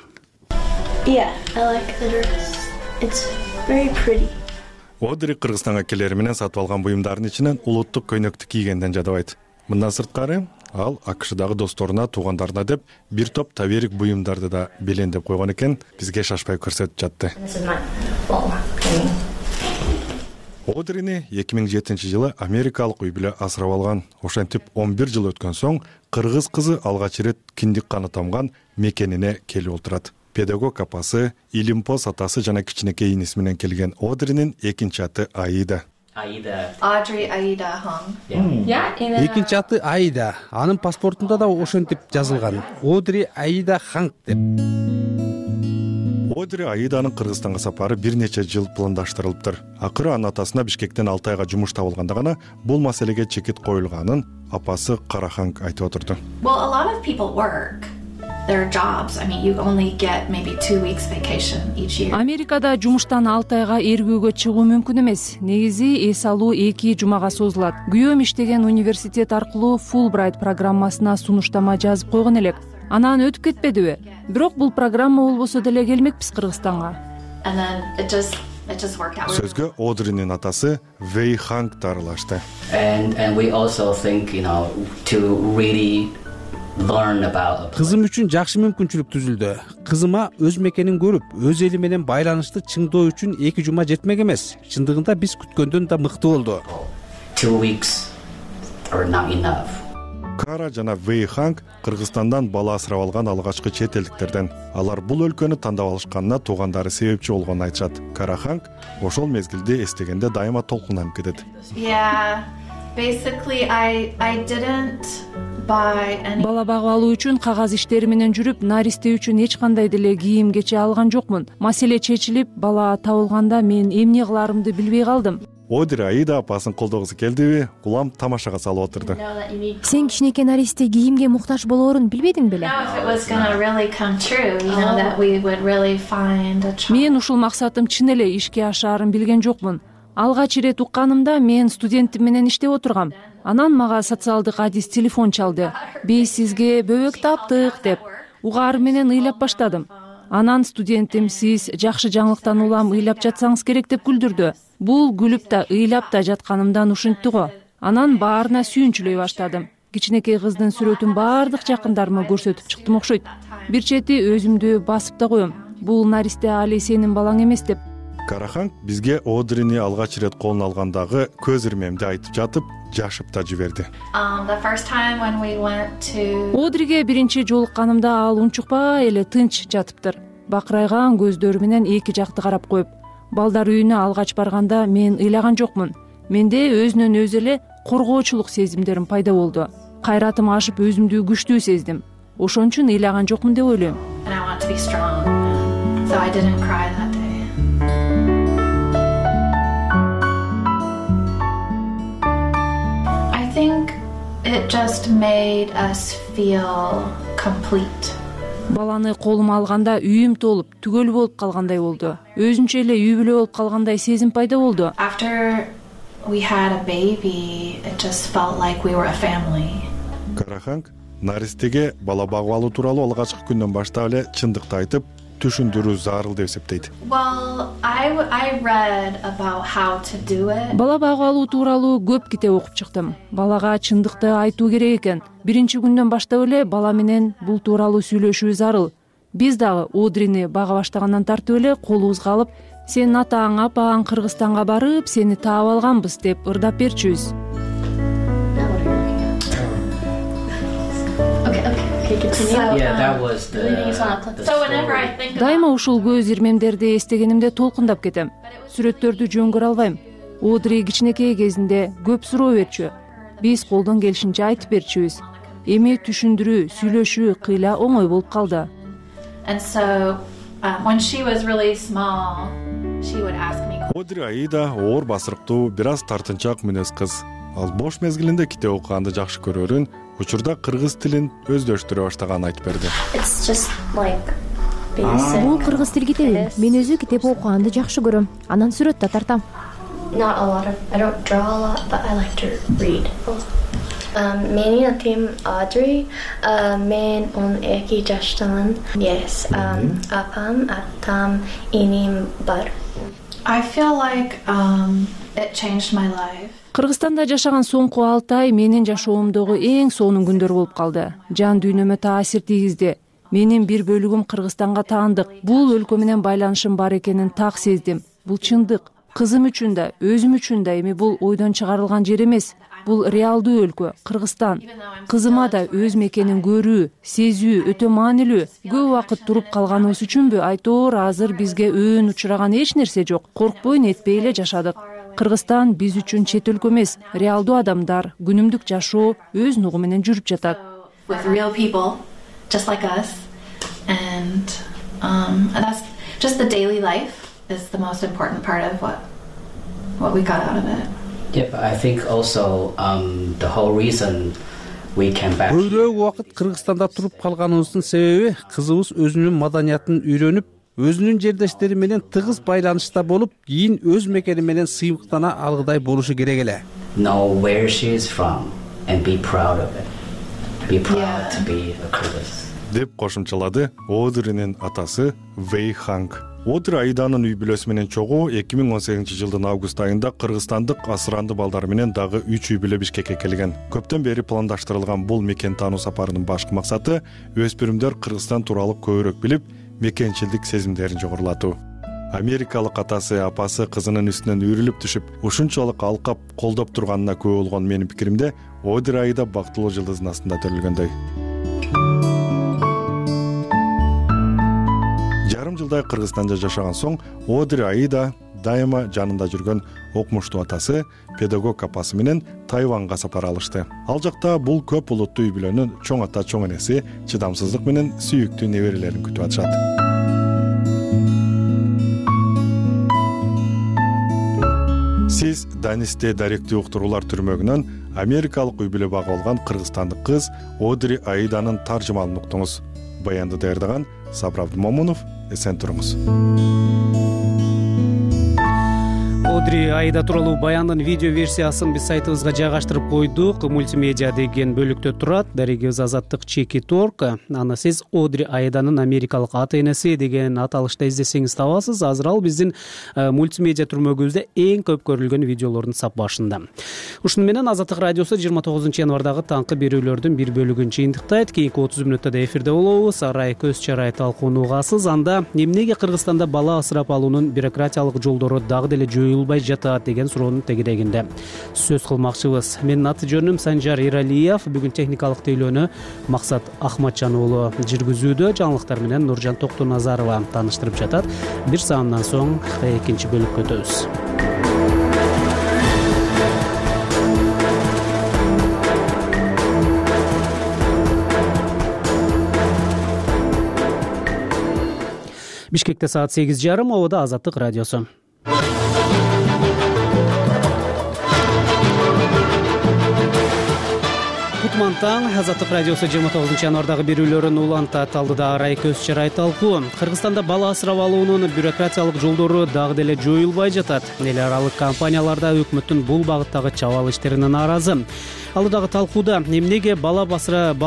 Одри Кыргызстанга келери менен сатып алган буюмдардын ичинен улуттук көйнөктү кийгенден жадабайт. Мындан сырткары ал АКШдагы досторуна, туугандарына деп бир топ таберик буюмдарды да белендеп койгон экен, бизге шашпай көрсөтүп жатты. Одрини 2007 жылы америкалык үй бүлө асырап алган. Ошентип 11 жыл өткөн соң кыргыз кызы алгач ирет киндик каны тамган мекенине келип отурат. Педагог апасы, илимпоз атасы жана кичинекей иниси менен келген Одринин экинчи аты Аида. Audrey Aida Hong. Экинчи аты Аида. Анын паспортунда да ошентип жазылган. Одри Аида Ханг деп. Одри Аиданын Кыргызстанга сапары бир нече жыл пландаштырылыптыр. Акыры анын атасына Бишкектен 6 айга жумуш табылганда гана бул маселеге чекит коюлганын апасы Караханг айтып отурду. Well, a lot of people work. Their jobs. I mean, you only get maybe 2 weeks vacation each year. Америкада жумуштан 6 айга эргүүгө чыгуу мүмкүн эмес. Негизи эс алуу 2 жумага созулат. Күйөөм иштеген университет аркылуу Fulbright программасына сунуштама жазып койгон элек. Анан өтүп кетпедиби? Бирок бул программа болбосо деле келмекпиз Кыргызстанга. And then it just worked out. Сөзгө Одринин атасы Вэй Ханг дарылашты. And we also think, to really Кызым үчүн жакшы мүмкүнчүлүк түзүлдү. Кызыма өз мекенин көрүп, өз эли менен байланышты чыңдоо үчүн 2 жума жетмек эмес. Чындыгында биз күткөндөн да мыкты болду. 2 weeks are not enough. Кара жана Вэй Ханг Кыргызстандан бала асырап алган алгачкы чет элдиктерден. Алар бул өлкөнү тандап алышканына туугандары себепчи болгонун айтышат. Кара Ханг ошол мезгилде эстегенде дайыма толкунанып кетет. Basically, I didn't buy any. Бала багып алуу үчүн кагаз иштери менен жүрүп, наристе үчүн эч кандай деле кийим кече алган жокмун. Маселе чечилип, бала табылганда мен эмне кыларымды билбей калдым. Одри Аида апасын колдогусу келдиби, улам тамашага салып отурду. Сен кичинекей наристе кийимге муктаж болоорун билбедиң беле? Мен ушул максатым чын эле ишке ашаарын билген жокмун. Алгач ирет укканымда мен студентим менен иштеп отургам. Анан мага социалдык адис телефон чалды. Биз сизге бөбөк таптык деп. Угаар менен ыйлап баштадым. Анан студентим сиз жакшы жаңылыктан улам ыйлап жатсаңыз керек деп күлдүрдү. Бул күлүп да ыйлап да жатканымдан ушинтти го. Анан баарына сүйүнчүлөй баштадым. Кичинекей кыздын сүрөтүн баардык жакындарыма көрсөтүп чыктым окшойт. Бир чети өзүмдү басып да коем. Бул наристе али сенин балаң эмес деп. Караханг бизге Одрини алгач ирет колуна алгандагы көз ирмемди айтып жатып, жашып да жиберди. Одриге биринчи жолукканымда ал унчукпай эле тынч жатыптыр. Бакырайган көздөрү менен эки жакты карап коюп. Балдар үйүнө алгач барганда мен ыйлаган жокмун. Менде өзүнөн өзү эле коргоочулук сезимдерим пайда болду. Кайратым ашып өзүмдү күчтүү сездим. Ошон үчүн ыйлаган жокмун деп ойлойм. It just made us feel complete. Баланы колума алганда үйүм толуп, түгөл болуп калгандай болду. Өзүнчө эле үй бүлө болуп калгандай сезим пайда болду. After we had a baby, it just felt like we were a family. Караханг наристеге бала багып алуу тууралуу алгачкы күндөн баштап эле чындыкты айтып, түшүндүрүү зарыл деп эсептейт. I read about how to do it. Бала багып алуу тууралуу көп китеп окуп чыктым. Балага чындыкты айтуу керек экен. Биринчи күндөн баштап эле бала менен бул тууралуу сүйлөшүү зарыл. Биз дагы Одрини бага баштагандан тартып эле колубузга алып, сенин атаң, апаң Кыргызстанга барып, сени таап алганбыз деп ырдап берчүбүз. Дайыма ушул көз ирмемдерди эстегенимде толкундап кетем. Сүрөттөрдү жөн көрө албайм. Одри кичинекей кезинде көп суроо берчү. Биз колдон келишинче айтып берчүбүз. Эми түшүндүрүү, сүйлөшүү кыйла оңой болуп калды. Одри Аида оор басырыктуу, бир аз тартынчаак мүнөз кыз. Ал бош мезгилинде китеп окуганды жакшы көрөрүн, учурда кыргыз тилин өздөштүрө баштаганын айтып берди. Бул кыргыз тил китеби. Мен өзү китеп окуганды жакшы көрөм. Анан сүрөт да тартам. Менин атым Audrey. Мен 12 жаштамын. Yes. Апам, атам, иним бар. I feel like it changed my life. Кыргызстанда жашаган соңку 6 ай менин жашоомдогу эң сонун күндөр болуп калды. Жан дүйнөмө таасир тийгизди. Менин бир бөлүгүм Кыргызстанга таандык. Бул өлкө менен байланышым бар экенин так сездим. Бул чындык. Кызым үчүн да, өзүм үчүн да эми бул ойдон чыгарылган жер эмес. Бул реалдуу өлкө, Кыргызстан. Кызыма да өз мекенин көрүү, сезүү өтө маанилүү. Көп убакыт туруп калганыбыз үчүнбү айтоор азыр бизге өөн учураган эч нерсе жок. Коркпой нетпей эле жашадык. Кыргызстан биз үчүн чет өлкө эмес, реалдуу адамдар, күнүмдүк жашоо өз нугу менен жүрүп жатат. With real people just like us, and that's just the daily life is the most important part of what we got out of it. Yep, I think also the whole reason we came back. Көбүрөөк убакыт Кыргызстанда туруп калганыбыздын себеби кызыбыз өзүнүн маданиятын үйрөнүп, өзүнүн жердештери менен тыгыз байланышта болуп, кийин өз мекени менен сыймыктана алгыдай болушу керек эле. Know where she is from and be proud of it. Be proud to be a Kyrgyz. Деп кошумчалады Одринин атасы Вэй Ханг. Одри Аиданын үй бүлөсү менен чогуу 2018-жылдын август айында кыргызстандык асыранды балдар менен дагы 3 үй бүлө Бишкекке келген. Көптөн бери пландаштырылган бул мекен таануу сапарынын башкы максаты өспүрүмдөр Кыргызстан тууралуу көбүрөөк билип, мекенчилдик сезимдерин жогорулатуу. Америкалык атасы, апасы кызынын үстүнөн үйрүлүп түшүп, ушунчалык алкап, колдоп турганына күбө болгон менин пикиримде, Одри Аида бактылуу жылдыздын астында төрөлгөндөй. Жарым жылдай Кыргызстанда жашаган соң Одри Аида дайыма жанында жүргөн окумуштуу атасы, педагог апасы менен Тайванга сапар алышты. Ал жакта бул көп улуттуу үй бүлөнүн чоң ата, чоң энеси чыдамсыздык менен сүйүктүү неберелерин күтүп атышат. Сиз Данисте даректүү уктуруулар түрмөгүнөн америкалык үй бүлө багып алган кыргызстандык кыз Одри Аиданын таржымалын уктуңуз. Баянды даярдаган Сабыр Абдымомунов. Эсен туруңуз. Одри Айда тууралуу баяндын видео версиясын биз сайтыбызга жайгаштырып койдук. Мультимедиа деген бөлүктө турат. Дарегибиз Азаттык Чеки Торг. Аны сиз Одри Айданын америкалык ата-энеси деген аталышта издесеңиз табасыз. Азыр ал биздин мультимедиа түрмөгүбүздө эң көп көрүлгөн видеолордун сап башында. Ушуну менен Азаттык радиосу 29 январдагы таңкы берүүлөрдүн бир бөлүгүн жыйынтыктайт. Кийинки 30 мүнөттө эфирде болобуз. Арай көз чарай талкууну угасыз. Анда эмнеге Кыргызстанда бала асырап алуунун бюрократиялык жолдору дагы деле жоюлбай жатат деген суроонун тегерегинде сөз кылмакчыбыз. Менин аты жөнүм Санжар Иралиев. Бүгүн техникалык тейлөөнү Максат Ахматжан уулу жүргүзүүдө. Жаңылыктар менен Нуржан Токтоназарова тааныштырып жатат. Бир саамдан соң экинчи бөлүккө өтөбүз. Бишкекте саат 8:30, Ободо Азаттык радиосу. Кутман таң, Азаттык радиосу 29 январдагы берүүлөрүн улантат. Алдыда Арай көз чарай талкуу. Кыргызстанда бала асырап алуунун бюрократиялык жолдору дагы деле жоюлбай жатат. Эл аралык компанияларда өкмөттүн бул багыттагы чабал иштерине нааразы. Алдыдагы талкууда эмнеге бала асырап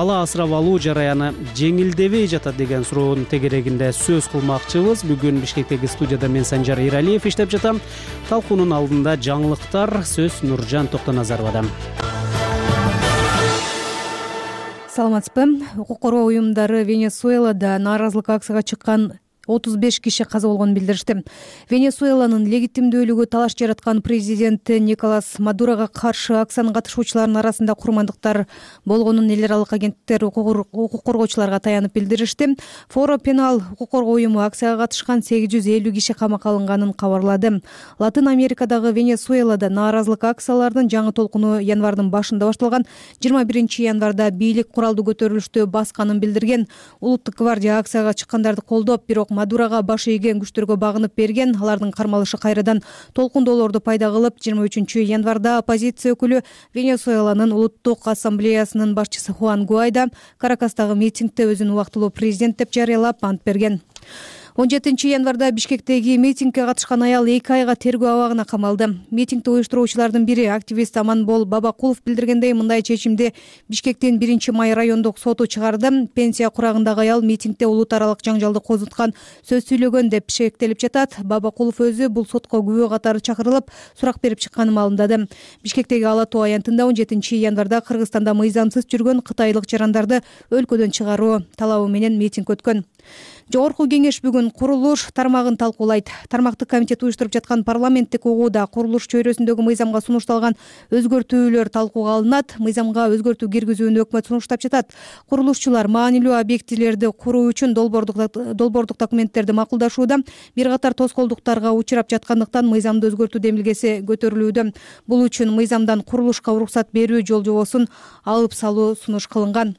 алуу жараяны жеңилдебей жатат деген суроонун тегерегинде сөз кылмакчыбыз. Бүгүн Бишкектеги студияда мен Санжар Иралиев иштеп жатам. Талкуунун алдында жаңылыктар, сөз Нуржан Токтоназаровадан. Саламатсызбы? Укук коргоо уюмдары Венесуэлада нааразылык акцияга чыккан 35 киши каза болгонун билдиришти. Венесуэланын легитимдүүлүгү талаш жараткан президенти Николас Мадурога каршы акциянын катышуучуларынын арасында курмандыктар болгонун эл аралык агенттиктер укук коргоочуларга таянып билдиришти. Форо Пенал укук коргоо уюму акцияга катышкан 850 киши камакка алынганын кабарлады. Латын Америкадагы Венесуэлада нааразылык акциялардын жаңы толкуну январдын башында башталган. 21 январда бийлик куралдуу көтөрүлүштү басканын билдирген. Улуттук гвардия акцияга чыккандарды колдоп, бирок Мадурага баш ийген күчтөргө багынып берген. Алардын кармалышы кайрадан толкундоолорду пайда кылып, 23 январда оппозиция өкүлү Венесуэланын улуттук ассамблеясынын башчысы Хуан Гуайдо Каракастагы митингде өзүн убактылуу президент деп жарыялап ант берген. 17 январда Бишкектеги митингге катышкан аял 2 айга тергөө абагына камалды. Митингди уюштуруучулардын бири активист Аманбол Бабакулов билдиргендей, мындай чечимди Бишкектин 1-май райондук соту чыгарды. Пенсия курагындагы аял митингде улут аралык жаңжалды козуткан сөз сүйлөгөн деп шектелип жатат. Бабакулов өзү бул сотко күбө катары чакырылып, сурак берип чыкканын маалымдады. Бишкектеги Ала Тоо аянтында 17 январда Кыргызстанда мыйзамсыз жүргөн кытайлык жарандарды өлкөдөн чыгаруу талабы менен митинг өткөн. Жогорку кеңеш бүгүн курулуш тармагын талкуулайт. Тармактык комитет уюштуруп жаткан парламенттик угууда курулуш чөйрөсүндөгү мыйзамга сунушталган өзгөртүүлөр талкууга алынат. Мыйзамга өзгөртүү киргизүүнү өкмөт сунуштап жатат. Курулушчулар маанилүү объектилерди куруу үчүн долбоордук документтерди макулдашууда. Бир катар тоскоолдуктарга учурап жаткандыктан мыйзамды өзгөртүү демилгеси көтөрүлүүдө. Бул үчүн мыйзамдан курулушка уруксат берүү жол-жобосун алып салуу сунуш кылынган.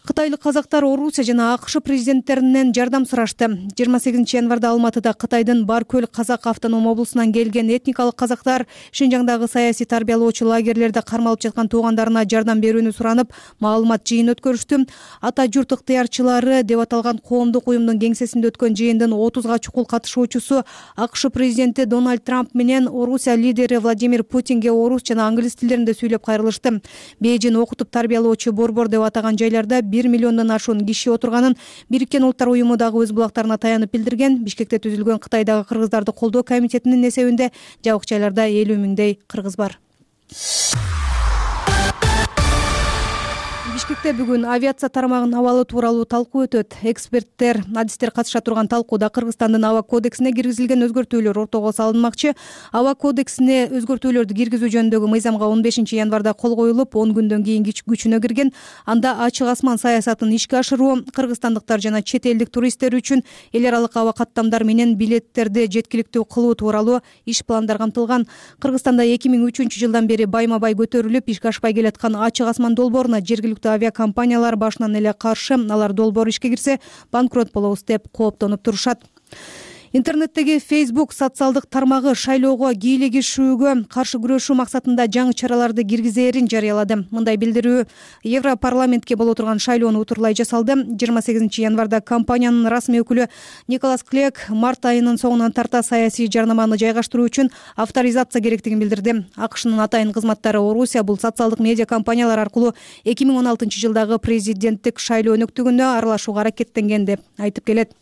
Кытайлык казактар Орусия жана АКШ президенттеринен жардам сурашты. 28 январда Алматыда Кытайдын Баркөл казак автоном облусунан келген этникалык казактар Шинжаңдагы саясий тарбиялоочу лагерлерде кармалып жаткан туугандарына жардам берүүнү суранып, маалымат жыйын өткөрүштү. Ата журт ыктыярчылары деп аталган коомдук уюмдун кеңсесинде өткөн жыйындын 30га чукул катышуучусу АКШ президенти Дональд Трамп менен Орусия лидери Владимир Путинге орус жана англис тилдеринде сүйлөп кайрылышты. Бейжин окутуп тарбиялоочу борбор деп атаган жайларда 1 миллиондон ашуун киши отурганын Бириккен Улуттар уюму дагы өз булактарына таянып билдирген. Бишкекте түзүлгөн Кытайдагы кыргыздарды колдоо комитетинин эсебинде жабык жайларда 50 миңдей кыргыз бар. Бишкекте бүгүн авиация тармагынын абалы тууралуу талкуу өтөт. Эксперттер, адистер катыша турган талкууда Кыргызстандын аба кодексине киргизилген өзгөртүүлөр ортого салынмакчы. Аба кодексине өзгөртүүлөрдү киргизүү жөнүндөгү мыйзамга 15 январда кол коюлуп, 10 күндөн кийин күчүнө кирген. Анда ачык асман саясатын ишке ашыруу, кыргызстандыктар жана чет элдик туристтер үчүн эл аралык аба каттамдар менен билеттерди жеткиликтүү кылуу тууралуу иш пландар камтылган. Кыргызстанда 2003 жылдан бери байма-бай көтөрүлүп, ишке ашпай келаткан ачык асман долбооруна жергиликтүү авиакомпаниялар башынан эле каршы. Алар долбоор ишке кирсе банкрот болобуз деп кооптонуп турушат. Интернеттеги Facebook социалдык тармагы шайлоого кийлигишүүгө каршы күрөшүү максатында жаңы чараларды киргизээрин жарыялады. Мындай билдирүү Европарламентке боло турган шайлоону утурлай жасалды. 28 январда компаниянын расмий өкүлү Николас Клек март айынын соңунан тарта саясий жарнаманы жайгаштыруу үчүн авторизация керектигин билдирди. АКШнын атайын кызматтары Орусия бул социалдык медиа компаниялар аркылуу 2016 жылдагы президенттик шайлоо өнөктүгүнө аралашууга аракеттенген деп айтып келет.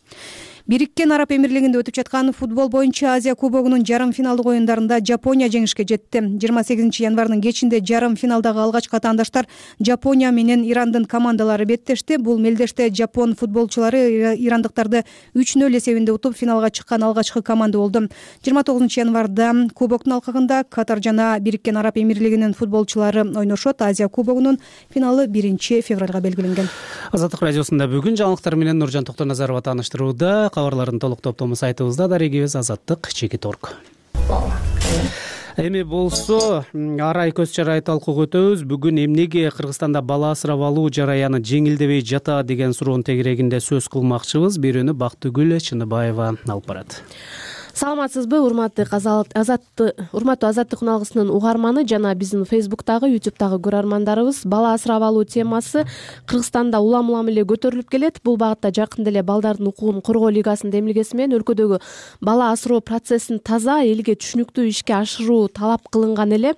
Бириккен Араб Эмирлигинде өтүп жаткан футбол боюнча Азия кубогунун жарым финалдык оюндарында Жапония жеңишке жетти. 28 январдын кечинде жарым финалдагы алгачкы атаандаштар Жапония менен Ирандын командалары беттешти. Бул мелдеште жапон футболчулары ирандыктарды 3-0 эсебинде утуп финалга чыккан алгачкы команда болду. 29 январда кубоктун алкагында Катар жана Бириккен Араб Эмирлигинин футболчулары ойношот. Азия кубогунун финалы 1-февралга белгиленген. Азаттык радиосунда бүгүн жаңылыктар менен Нуржан Токтоназарова тааныштырууда. Кабарлардын толук топтому сайтыбызда дарегибиз Азаттык.org. Эми болсо арай көз чарай талкууга өтөбүз. Бүгүн эмнеге Кыргызстанда бала асырап алуу жараяны жеңилдебей жатат деген суроонун тегерегинде сөз кылмакчыбыз. Бирөөнү Бактыгүл Чыныбаева алып барат. Саламатсызбы, урматтуу Азаттык уналгысынын угарманы жана биздин Facebook'тагы, YouTube'тагы көрөрмандарыбыз. Бала асырап алуу темасы Кыргызстанда улам эле көтөрүлүп келет. Бул багытта жакында эле балдардын укугун коргоо лигасынын демилгеси менен өлкөдөгү бала асыроо процессин таза, элге түшүнүктүү ишке ашыруу талап кылынган эле.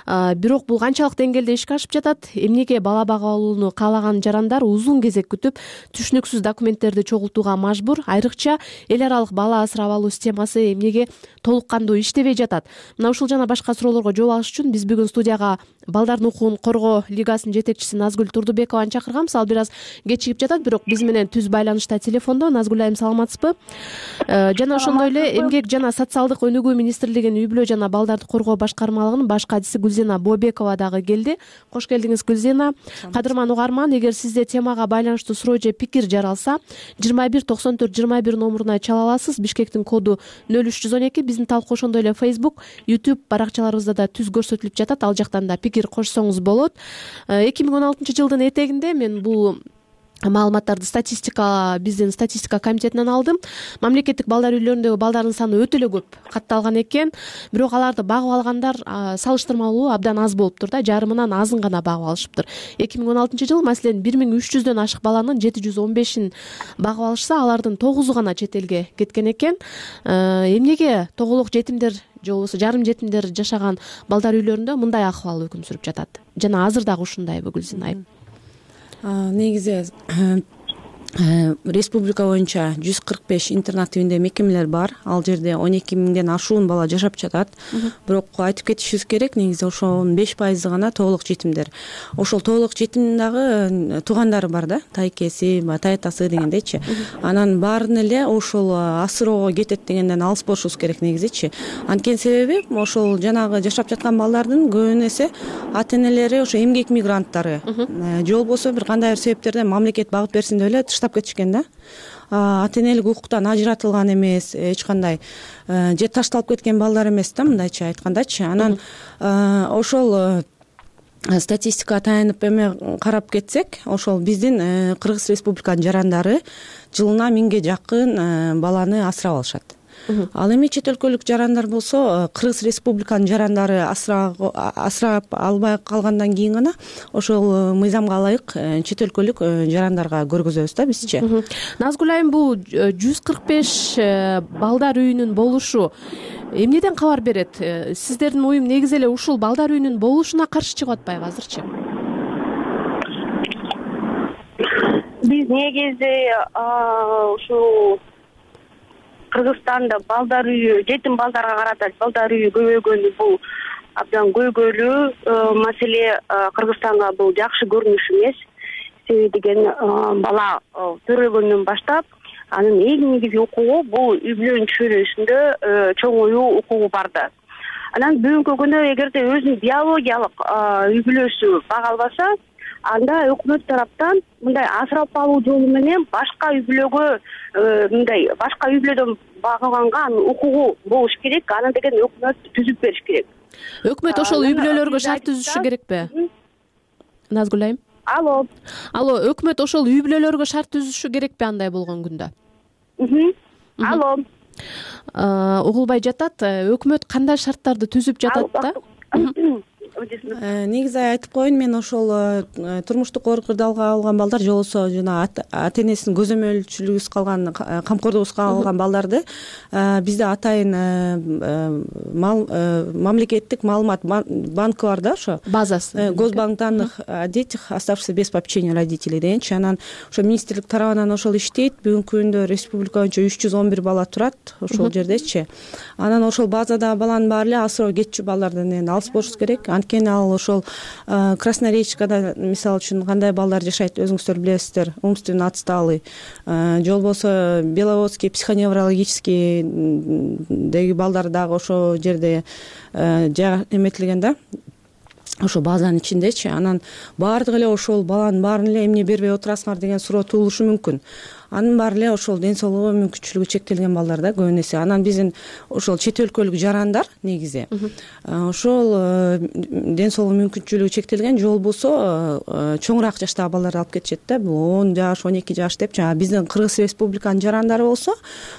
Бирок бул канчалык деңгээлде ишке ашып жатат? Эмнеге бала бага алууну каалаган жарандар узун кезек күтүп, түшүнүксүз документтерди чогултууга мажбур? Айрыкча эл аралык бала асырап алуу системасы эмнеге толук кандуу иштебей жатат? Мына ушул жана башка суроолорго жооп алыш үчүн биз бүгүн студияга балдардын укугун коргоо лигасынын жетекчиси Назгүл Турдубекованы чакырганбыз. Ал бир аз кечигип жатат, бирок биз менен түз байланышта телефондо. Назгүл айым, саламатсызбы? Жана ошондой эле Эмгек жана социалдык өнүгүү министрлигинин үй бүлө жана балдарды коргоо башкармалыгынын баш катчысы Гүлзина Бообекова дагы келди. Кош келдиңиз, Гүлзина. Кадырман угарман, эгер сизде темага байланыштуу суроо же пикир жаралса, 2194-21 номуруна чала аласыз. Бишкектин коду 0312. Биздин талкуу ошондой эле Facebook, YouTube баракчаларыбызда да түз көрсөтүлүп жатат. Ал жактан да пикир кошсоңуз болот. 2016 жылдын этегинде мен бул маалыматтарды биздин статистика комитетинен алдым. Мамлекеттик балдар үйлөрүндөгү балдардын саны өтө эле көп катталган экен. Бирок аларды багып алгандар салыштырмалуу абдан аз болуптур да, жарымынан азын гана багып алышыптыр. 2016 жылы маселен 1300дөн ашык баланын 715ин багып алышса, алардын 9 гана чет элге кеткен экен. Эмнеге тоголок жетимдер же болбосо жарым жетимдер жашаган балдар үйлөрүндө мындай акыбал өкүм сүрүп жатат? Жана азыр дагы ушундайбы, Гүлзина айым? Негизи республика боюнча 145 интернат тибинде мекемелер бар. Ал жерде 12 миңден ашуун бала жашап жатат. Бирок айтып кетишибиз керек, негизи ошонун 5% гана тоголок жетимдер. Ошол тоголок жетимдин дагы туугандары бар да, тайкеси, таятасы дегендейчи. Анан баарын эле ошол асыроого кетет дегенден алыс болушубуз керек негизичи. Анткени себеби ошол жанагы жашап жаткан балдардын көбүн эсе ата энелери ошо эмгек мигранттары же болбосо бир кандай бир себептерден мамлекет багып берсин деп эле таштап кетишкен да. Ата энелик укуктан ажыратылган эмес, эч кандай же ташталып кеткен балдар эмес да, мындайча айткандачы. Анан ошол статистикага таянып эме карап кетсек, ошол биздин Кыргыз Республиканын жарандары жылына 1000ге жакын баланы асырап алышат. Ал эми чет өлкөлүк жарандар болсо, Кыргыз Республиканын жарандары асырап албай калгандан кийин гана ошол мыйзамга ылайык чет өлкөлүк жарандарга көргөзөбүз да бизчи. Назгүл айым, бул 145 балдар үйүнүн болушу эмнеден кабар берет? Сиздердин уюм негизи эле ушул балдар үйүнүн болушуна каршы чыгып атпайбы азырчы? Биз негизи ушул Кыргызстанда балдар үйү, жетим балдарга карата балдар үйү көбөйгөнү бул абдан көйгөйлүү маселе. Кыргызстанга бул жакшы көрүнүш эмес. Себеби деген бала төрөлгөндөн баштап анын эң негизги укугу бул үй бүлөнүн чөйрөсүндө чоңоюу укугу бар да. Анан бүгүнкү күндө эгерде өзүнүн биологиялык үй бүлөсү бага албаса, анда өкмөт тараптан мындай асырап алуу жолу менен башка үй бүлөгө мындай башка үй бүлөдөн багылганга анын укугу болуш керек. Аны деген өкмөт түзүп бериш керек. Өкмөт ошол үй бүлөлөргө шарт түзүшү керекпи? Назгүл айым. Алло, өкмөт ошол үй бүлөлөргө шарт түзүшү керекпи андай болгон күндө? Алло. угулбай жатат. Өкмөт кандай шарттарды түзүп жатат да? Негизи айтып коеюн, мен ошол турмуштук оор кырдаалга алган балдар же болбосо жана ата энесинин көзөмөлчүлүгүсүз калган, камкордугусуз калган балдарды бизде атайын мамлекеттик маалымат банкы бар да, ошо базасы, Госбанк данных о детях, оставшихся без попечения родителей дегенчи. Анан ошо министрлик тарабынан ошол иштейт. Бүгүнкү күндө республика боюнча 311 бала турат ошол жердечи. Анан ошол базада баланын баары эле асыроо кетчү балдардан алыс болуш керек. Анткени ал ошол Красноречкада мисалы үчүн кандай балдар жашайт, өзүңүздөр билесиздер, умственно отсталый, же болбосо Беловодский психоневрологический деги балдар дагы ошол жерде эметилген да, ошо базанын ичиндечи. Анан баардыгы эле ошол баланын баарын эле эмне бербей отурасыңар деген суроо туулушу мүмкүн. Анын баары эле ошол ден соолугу мүмкүнчүлүгү чектелген балдар да көбүн эсе. Анан биздин ошол чет өлкөлүк жарандар негизи ошол ден соолугу мүмкүнчүлүгү чектелген же болбосо чоңураак жаштагы балдарды алып кетишет да. Бул 10 жаш, 12 жаш деп. Жана биздин Кыргыз Республиканын жарандары болсо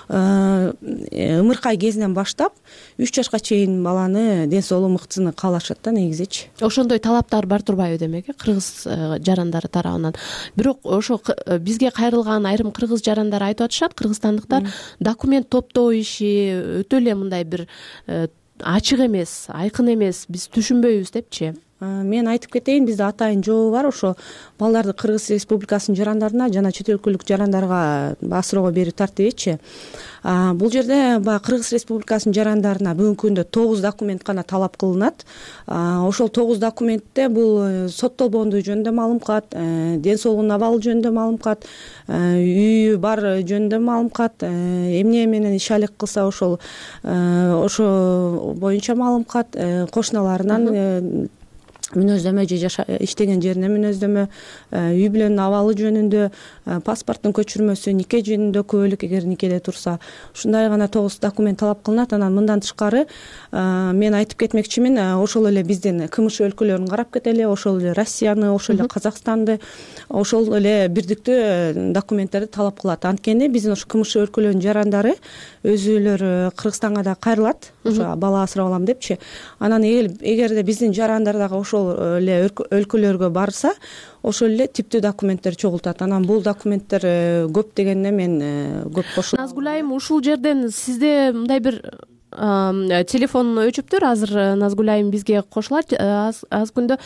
ымыркай кезинен баштап 3 жашка чейин баланы ден соолугу мыктысыны каалашат да негизичи. Ошондой талаптар бар турбайбы демек, кыргыз жарандары тарабынан. Бирок ошо бизге кайрылган айрым кыргыз жарандары айтып атышат, кыргызстандыктар документ топтоо иши өтө эле мындай бир ачык эмес, айкын эмес, биз түшүнбөйбүз депчи. Мен айтып кетейин, бизде атайын жообу бар. Ошо балдарды Кыргыз Республикасынын жарандарына жана чет өлкөлүк жарандарга асыроого берүү тартибичи. Бул жерде баягы Кыргыз Республикасынын жарандарына бүгүнкү күндө 9 документ гана талап кылынат. Ошол 9 документте бул соттолбоондугу жөнүндө маалымкат, ден соолугунун абалы жөнүндө маалымкат, үйү бар жөнүндө маалымкат, эмне менен иш алек кылса ошол боюнча маалымкат, кошуналарынан мүнөздөмө же иштеген жерине мүнөздөмө, үй бүлөнүн абалы жөнүндө, паспорттун көчүрмөсү, нике жөнүндө күбөлүк эгер никеде турса, ушундай гана 9 документ талап кылынат. Анан мындан тышкары мен айтып кетмекчимин, ошол эле биздин КМШ өлкөлөрүн карап кетели, ошол эле Россияны, ошол эле Казакстанды, ошол эле бирдиктүү документтерди талап кылат. Анткени биздин ошо КМШ өлкөлөрүнүн жарандары өзүлөр Кыргызстанга да кайрылат, ошо бала асырап алам депчи. Анан эгерде биздин жарандар дагы ошол эле өлкөлөргө барса, ошол эле типтүү документтер чогултат. Анан бул документтер көп дегенне мен көп кошулам. Назгүл айым, ушул жерден сизде мындай бир телефон өчүптүр. Азыр Назгүл айым бизге кошулат аз күндө.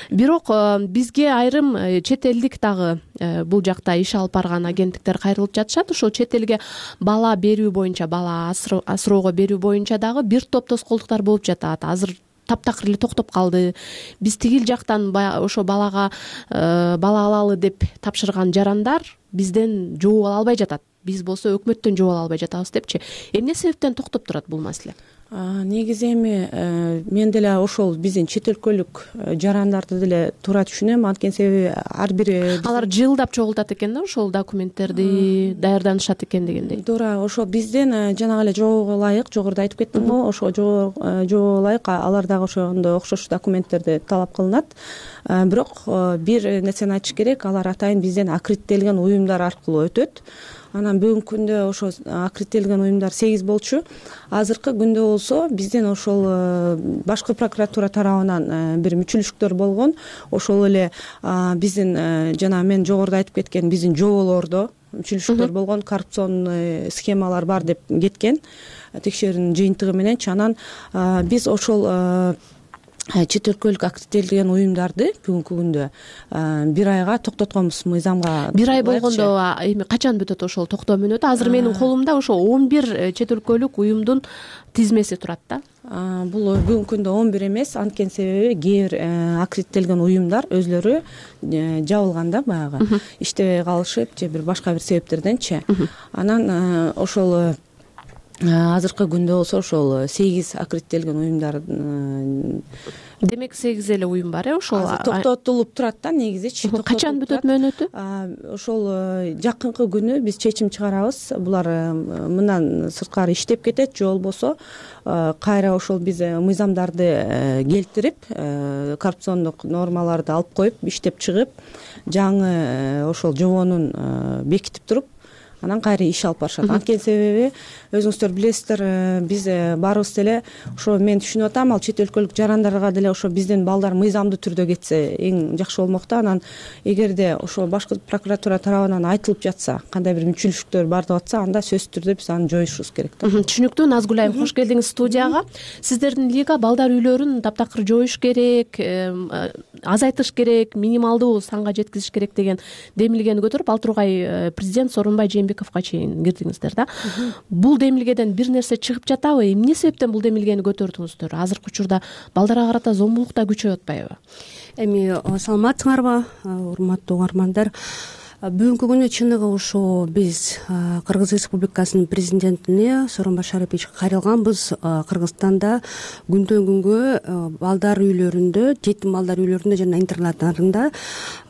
Бирок бизге айрым чет элдик дагы бул жакта иш алып барган агенттиктер кайрылып жатышат. Ошол чет элге бала берүү боюнча, бала асыроого берүү боюнча дагы бир топ тоскоолдуктар болуп жатат. Азыр таптакыр эле токтоп калды. Биз тигил жактан ошо бала алалы деп тапшырган жарандар бизден жооп ала албай жатат. Биз болсо өкмөттөн жооп ала албай жатабыз депчи. Эмне себептен токтоп турат бул маселе? Негизи эми мен деле ошол биздин чет өлкөлүк жарандарды деле туура түшүнөм. Анткени себеби ар бир алар жылдап чогултат экен да, ошол документтерди даярданышат экен дегендей. Туура, ошо бизден жанагы эле жоого ылайык, жогоруда айтып кеттим го, ошо жоого ылайык алар дагы ошондой окшош документтерди талап кылынат. Бирок бир нерсени айтыш керек, алар атайын бизден аккредиттелген уюмдар аркылуу өтөт. Анан бүгүнкү күндө ошо аккредиттелген уюмдар 8 болчу. Азыркы күндө болсо бизден ошол башкы прокуратура тарабынан бир мүчүлүштүктөр болгон. Ошол эле биздин жана мен жогоруда айтып кеткен биздин жоболордо мүчүлүштүктөр болгон, коррупционный схемалар бар деп кеткен текшерүүнүн жыйынтыгы мененчи. Анан биз ошол чет өлкөлүк аккредиттелген уюмдарды бүгүнкү күндө бир айга токтотконбуз мыйзамга. Бир ай болгондо эми качан бүтөт ошол токтоо мөөнөтү? Азыр менин колумда ошо 11 чет өлкөлүк уюмдун тизмеси турат да. Бул бүгүнкү күндө 11 эмес, анткени себеби кээ бир аккредиттелген уюмдар өзлөрү жабылган да, баягы иштебей калышып же бир башка бир себептерденчи. Анан ошол азыркы күндө болсо ошол 8 аккредиттелген уюмдар. Демек 8 эле уюм бар, ошол токтотулуп турат да негизичи. Качан бүтөт мөөнөтү? Ошол жакынкы күнү биз чечим чыгарабыз. Булар мындан сырткары иштеп кетет же болбосо кайра ошол биз мыйзамдарды келтирип, коррупциондук нормаларды алып коюп, иштеп чыгып, жаңы ошол жобонун бекитип туруп, анан кайра иш алып барышат. Анткени себеби өзүңүздөр билесиздер, биз баарыбыз деле ошо мен түшүнүп атам, ал чет өлкөлүк жарандарга деле ошо биздин балдар мыйзамдуу түрдө кетсе эң жакшы болмок да. Анан эгерде ошо башкы прокуратура тарабынан айтылып жатса, кандай бир мүчүлүштөр бар деп атса, анда сөзсүз түрдө биз аны жоюшубуз керек да. Түшүнүктүү. Назгүл айым, кош келдиңиз студияга. Сиздердин лига балдар үйлөрүн таптакыр жоюш керек, азайтыш керек, минималдуу санга жеткизиш керек деген демилгени көтөрүп ал тургай президент Сооронбай Жээнбековго чейин кирдиңиздер да. Бул демилгеден бир нерсе чыгып жатабы? Эмне себептен бул демилгени көтөрдүңүздөр? Азыркы учурда балдарга карата зомбулук да күчөп атпайбы? Эми саламатсыңарбы, урматтуу угармандар? Бүгүнкү күнү чыныгы ушул биз Кыргыз Республикасынын президентине Сооронбай Шариповичке кайрылганбыз. Кыргызстанда күндөн күнгө балдар үйлөрүндө, жетим балдар үйлөрүндө жана интернатларында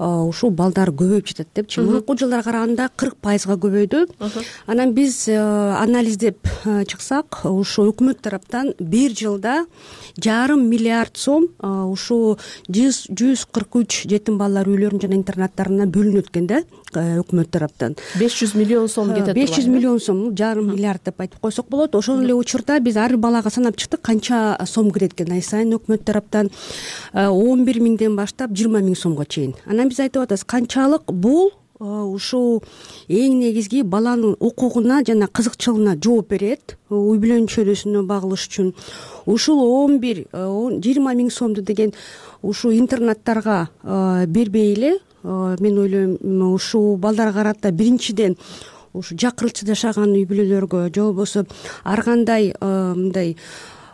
ушул балдар көбөйүп жатат депчи. Мурунку жылдарга караганда 40%га көбөйдү. Анан биз анализдеп чыксак, ушул өкмөт тараптан бир жылда 1,5 миллиард сом ушул 143 жетим балдар үйлөрүнүн жана интернаттарына бөлүнөт экен да. Өкмөт тараптан 500 миллион сом кетет. 500 миллион сом, 1,5 миллиард деп айтып койсок болот. Ошол эле учурда биз ар балага санап чыктык канча сом кирет экен ай сайын өкмөт тараптан. 11 миңден баштап 20 миң сомго чейин. Анан биз айтып атабыз, канчалык бул ушул эң негизги баланын укугуна жана кызыкчылыгына жооп берет, үй бүлөнүн чөйрөсүнө багылыш үчүн. Ушул 20 миң сомду деген ушул интернаттарга бербей эле, мен ойлойм, ушул балдарга карата биринчиден ушу жакырылчу жашаган үй бүлөлөргө же болбосо ар кандай мындай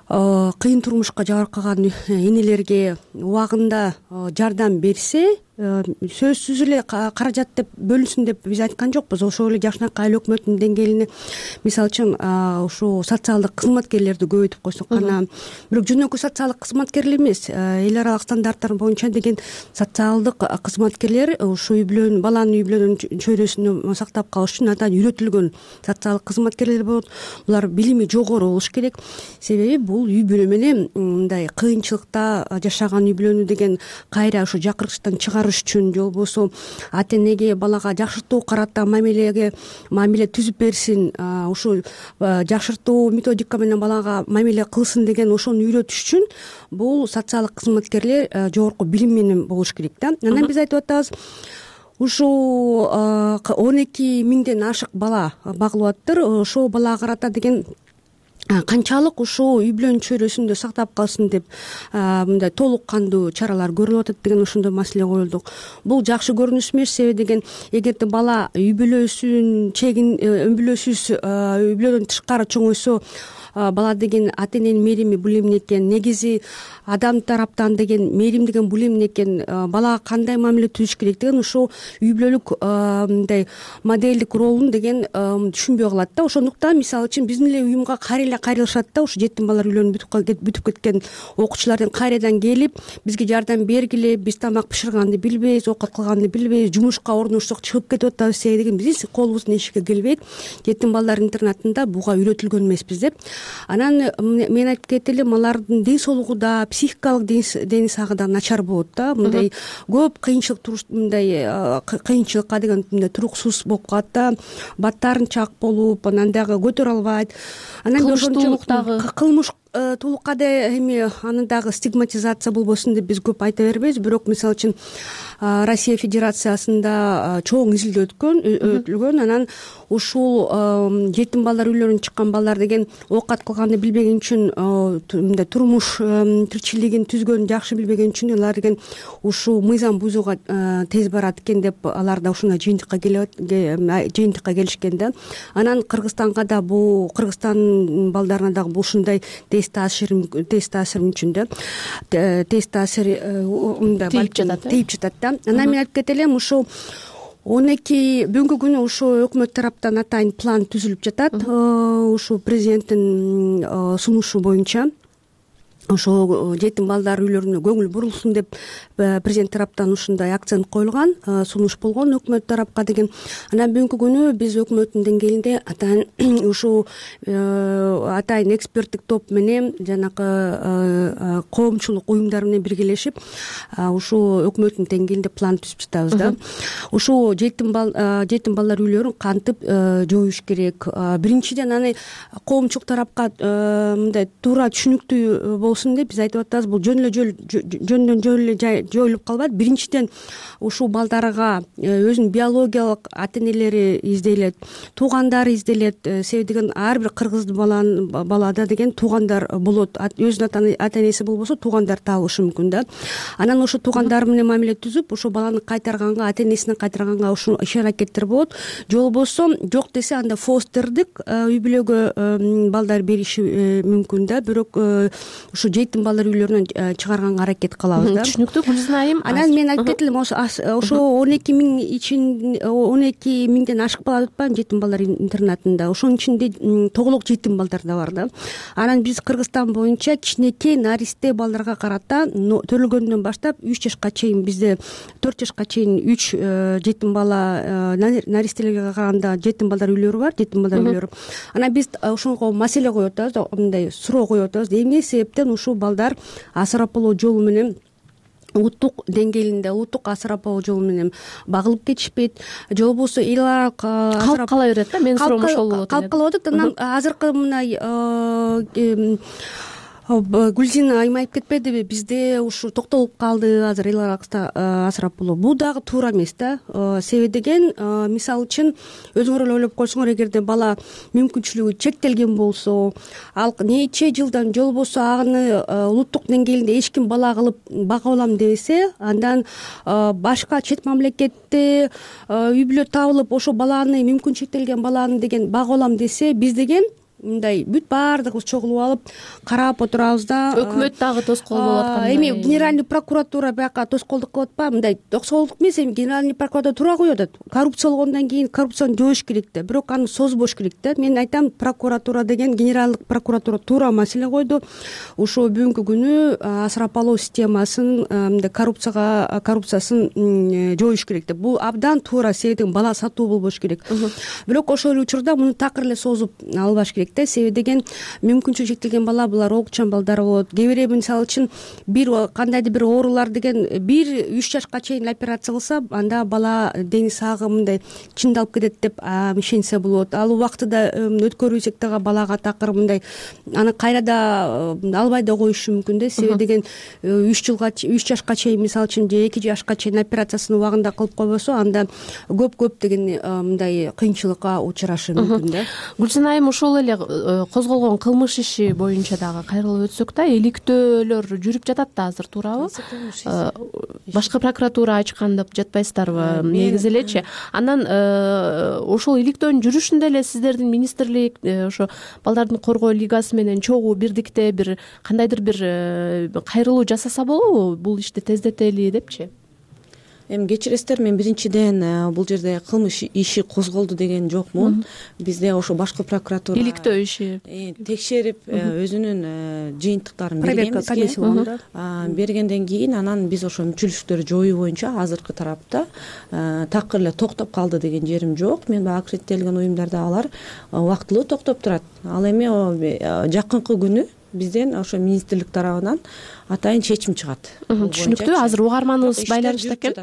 кыйын турмушка жабыркаган энелерге убагында жардам берсе, сөзсүз эле каражат деп бөлүнсүн деп биз айткан жокпуз. Ошол эле жакшынакай эл өкмөтүнүн деңгээлине мисалы үчүн ушул социалдык кызматкерлерди көбөйтүп койсок гана, бирок жөнөкөй социалдык кызматкерлер эмес, эл аралык стандарттар боюнча деген социалдык кызматкерлер ушул үй бүлөнүн, баланын үй бүлөнүн чөйрөсүнө сактап калыш үчүн андан үйрөтүлгөн социалдык кызматкерлер болот. Булар билими жогору болуш керек. Себеби бул үй бүлө менен мындай кыйынчылыкта жашаган үй бүлөнү деген кайра ушу жакыртыштан чыгарыш үчүн же болбосо ата энеге балага жакшыртуу карата мамиле түзүп берсин, ушул жакшыртуу методика менен балага мамиле кылсын деген ошону үйрөтүш үчүн бул социалдык кызматкерлер жогорку билим менен болуш керек да. Анан биз айтып атабыз, ушул 12 миңден ашык бала багылып атыптыр. Ошол балага карата деген канчалык ушул үй бүлөнүн чөйрөсүндө сактап калсын деп мындай толук кандуу чаралар көрүлүп атат деген ошондой маселе коюлдук. Бул жакшы көрүнүш эмес, себеби деген эгерде бала үй бүлөсүн чегин үй бүлөдөн тышкары чоңойсо, бала деген ата эненин мээрими бул эмне экен, негизи адам тараптан деген мээрим деген бул эмне экен, балага кандай мамиле түзүш керек деген ушул үй бүлөлүк мындай моделдик ролун деген түшүнбөй калат да. Ошондуктан мисалы үчүн биздин эле уюмга кайра кайрылышат да, ушу жетим балдар үйлөрүн бүтүп кеткен окуучулардын кайрадан келип бизге жардам бергиле, биз тамак бышырганды билбейбиз, оокат кылганды билбейбиз, жумушка орношсок чыгып кетип атабыз деген биздин колубуздун эшикке келбейт. Жетим балдар интернатында буга үйрөтүлгөн эмеспиз деп. Анан мен айтып кетелим, алардын ден соолугу да, психикалык дени сагы да начар болот да. Мындай көп кыйынчылыкка деген мындай туруксуз болуп калат да, баттарын чак болуп, анан дагы көтөрө албайт. Анан кылмыштуулукка да эми аны дагы стигматизация болбосун деп биз көп айта бербейбиз. Бирок мисалы үчүн Россия Федерациясында чоң изилдөө өтүлгөн. Анан ушул жетим балдар үйлөрүнөн чыккан балдар деген оокат кылганды билбеген үчүн, мындай турмуш тиричилигин түзгөнү жакшы билбеген үчүн алар деген ушул мыйзам бузууга тез барат экен деп алар да ушундай жыйынтыкка келишкен да. Анан Кыргызстанга да Кыргызстандын балдарына дагы бул ушундай тез таасир үчүн да, тез таасир тийип жатат да. Анан мен айтып кетелим, ушул 12 бүгүнкү күнү ушул өкмөт тараптан атайын план түзүлүп жатат. Ушул президенттин сунушу боюнча ошо жетим балдар үйлөрүнө көңүл бурулсун деп президент тараптан ушундай акцент коюлган, сунуш болгон өкмөт тарапка деген. Анан бүгүнкү күнү биз өкмөттүн деңгээлинде атайын ушул атайын эксперттик топ менен жанагы коомчулук уюмдар менен биргелешип ушул өкмөттүн деңгээлинде план түзүп жатабыз да. Ушул жетим балдар үйлөрүн кантип жоюш керек? Биринчиден аны коомчулук тарапка мындай туура түшүнүктүү болсун деп биз айтып атабыз. Бул жөндөн жөн жоюлуп калбайт. Биринчиден ушул балдарга өзүнүн биологиялык ата-энелери изделет, туугандары изделет. Себеби деген ар бир кыргыз балада деген туугандар болот. Өзүнүн ата-энеси болбосо туугандар табылышы мүмкүн да. Анан ошо туугандары менен мамиле түзүп, ошо баланы кайтарганга, ата-энесине кайтарганга ушул иш-аракеттер болот. Же болбосо жок десе анда фостердик үй бүлөгө балдар бериши мүмкүн да. Бирок ушу жетим балдар үйлөрүнөн чыгарганга аракет кылабыз да. Түшүнүктүү Гүлзина айым. Анан мен айтып кетелим, ошо 12 миң ичин 12 миңден ашык бала деп атпайбы жетим балдар интернатында. Ошонун ичинде тоголок жетим балдар да бар да. Анан биз Кыргызстан боюнча кичинекей наристе балдарга карата төрөлгөндөн баштап 3 жашка чейин, бизде 4 жашка чейин 3 жетим бала наристелерге караганда жетим балдар үйлөрү бар, жетим балдар үйлөрү. Анан биз ошого маселе коюп атабыз, мындай суроо коюп атабыз. Эмне себептен ушул балдар асырап алуу жолу менен улуттук деңгээлинде улуттук асырап алуу жолу менен багылып кетишпейт, же болбосо эл аралык калып кала берет да. Менин суроом ошол болот. Калып калып атат. Анан азыркы мындай Гүлзина айым айтып кетпедиби, бизде ушу токтолуп калды азыр эл аралык асырап алуу. Бул дагы туура эмес да. Себеби деген, мисалы үчүн өзүңөр эле ойлоп койсоңор, эгерде бала мүмкүнчүлүгү чектелген болсо, ал нече жылдан же болбосо аны улуттук деңгээлинде эч ким бала кылып бага алам дебесе, андан башка чет мамлекетте үй бүлө табылып ошо баланы, мүмкүн чектелген баланы деген бага алам десе, биз деген мындай бүт баардыгыбыз чогулуп алып карап отурабыз да. Өкмөт дагы тоскоол болуп аткандай. Эми генеральный прокуратура бияка тоскоолдук кылып атпайбы? Мындай тоскоолдук эмес, эми генеральный прокуратура туура коюп атат. Коррупция болгондон кийин коррупцияны жоюш керек да, бирок аны созбош керек да. Мен айтам, прокуратура деген, генералдык прокуратура туура маселе койду. Ошо бүгүнкү күнү асырап алуу системасын, мындай коррупциясын жоюш керек да. Бул абдан туура, себеби бала сатуу болбош керек. Бирок ошол эле учурда муну такыр эле созуп албаш керек. Себеби деген мүмкүнчүлүгү чектелген бала, булар огучан балдар болот. Кээ бирөө мисалы үчүн кандайдыр бир оорулар деген 1-3 жашка чейин операция кылса, анда бала дени сагы мындай чындалып кетет деп ишенсе болот. Ал убактыда өткөрүүсөк дагы балага такыр мындай аны кайра да албай да коюшу мүмкүн да. Себеби деген 3 жашка чейин, мисалы үчүн, же 2 жашка чейин операциясын убагында кылып койбосо, анда көп деген мындай кыйынчылыкка учурашы мүмкүн да. Гүлзина айым, ошол эле козголгон кылмыш иши боюнча дагы кайрылып өтсөк да, иликтөөлөр жүрүп жатат да азыр, туурабы? Башкы прокуратура ачкан деп жатпайсыздарбы? Негизи элечи. Анан ошол иликтөөнүн жүрүшүндө эле сиздердин министрлик ошо балдардын коргоо лигасы менен чогуу бирдикте бир кандайдыр бир кайрылуу жасаса болобу, бул ишти тездетели депчи? Эми кечиресиздер, мен биринчиден бул жерде кылмыш иши козголду деген жокмун. Бизде ошо башкы прокуратура иликтөө иши текшерип өзүнүн жыйынтыктарын бергенден кийин анан биз ошо мүчүлүштөрдү жоюу боюнча азыркы тарапта такыр эле токтоп калды деген жерим жок. Мен баягы аккредиттелген уюмдарда алар убактылуу токтоп турат. Ал эми жакынкы күнү бизден ошо министрлик тарабынан атайын чечим чыгат. Түшүнүктүү. Азыр угарманыбыз байланышта экен.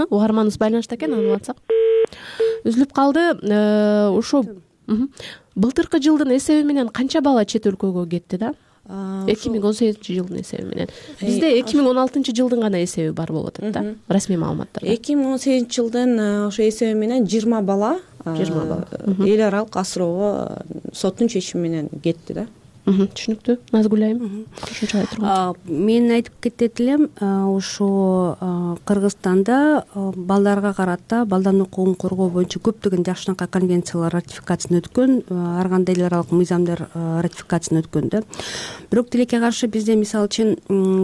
Угарманыбыз байланышта экен, аны улантсак. Үзүлүп калды. Ошо былтыркы жылдын эсеби менен канча бала чет өлкөгө кетти да? 2018-жылдын эсеби менен. Бизде 2016-жылдын гана эсеби бар болуп атат да, расмий маалыматтар. 2018-жылдын ошо эсеби менен 20 бала эл аралык асыроого соттун чечими менен кетти да. Түшүнүктүү. Назгүл айым кошумчалай турган. Мен айтып кетет элем, ошо Кыргызстанда балдарга карата балдардын укугун коргоо боюнча көптөгөн жакшынакай конвенциялар ратификациядан өткөн, ар кандай эл аралык мыйзамдар ратификациядан өткөн да. Бирок тилекке каршы бизде, мисалы үчүн,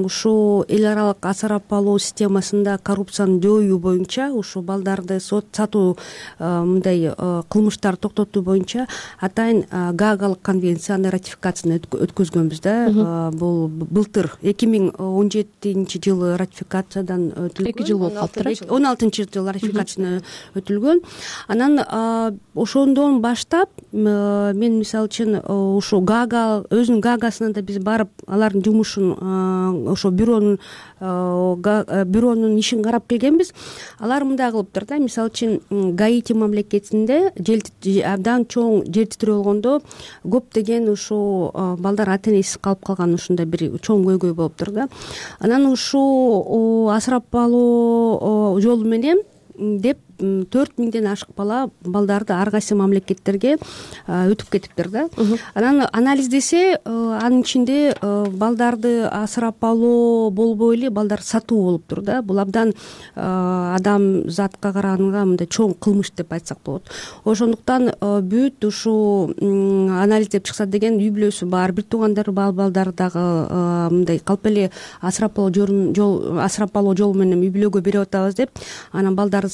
ушул эл аралык асырап алуу системасында коррупцияны жоюу боюнча, ушул балдарды сатуу мындай кылмыштарды токтотуу боюнча атайын Гаагалык конвенцияны ратификациядан өткөзгөнбүз да. Бул былтыр 2017-жылы ратификациядан өтүлгөн. 2 жыл болуп калыптыр. 16-жылы ратификациядан өтүлгөн. Анан ошондон баштап мен мисалы үчүн ушу Гага өзүнүн Гагасына да биз барып алардын жумушун ошо бюронун ишин карап келгенбиз. Алар мындай кылыптыр да. Мисалы үчүн Гаити мамлекетинде абдан чоң жер титирөө болгондо көптөгөн ушу балдар ата энесиз калып калган ушундай бир чоң көйгөй болуптур да. Анан ушу асырап алуу жолу менен деп 4000ден ашык балдарды ар кайсы мамлекеттерге өтүп кетиптир да. Анан анализдесе анын ичинде балдарды асырап алуу болбой эле балдар сатуу болуптур да. Бул абдан адам затка караганда мындай чоң кылмыш деп айтсак болот. Ошондуктан бүт ушу анализдеп чыкса деген үй бүлөсү бар, бир туугандары бар балдар дагы мындай калп эле асырап алуу жолу менен үй бүлөгө берип атабыз деп анан балдарды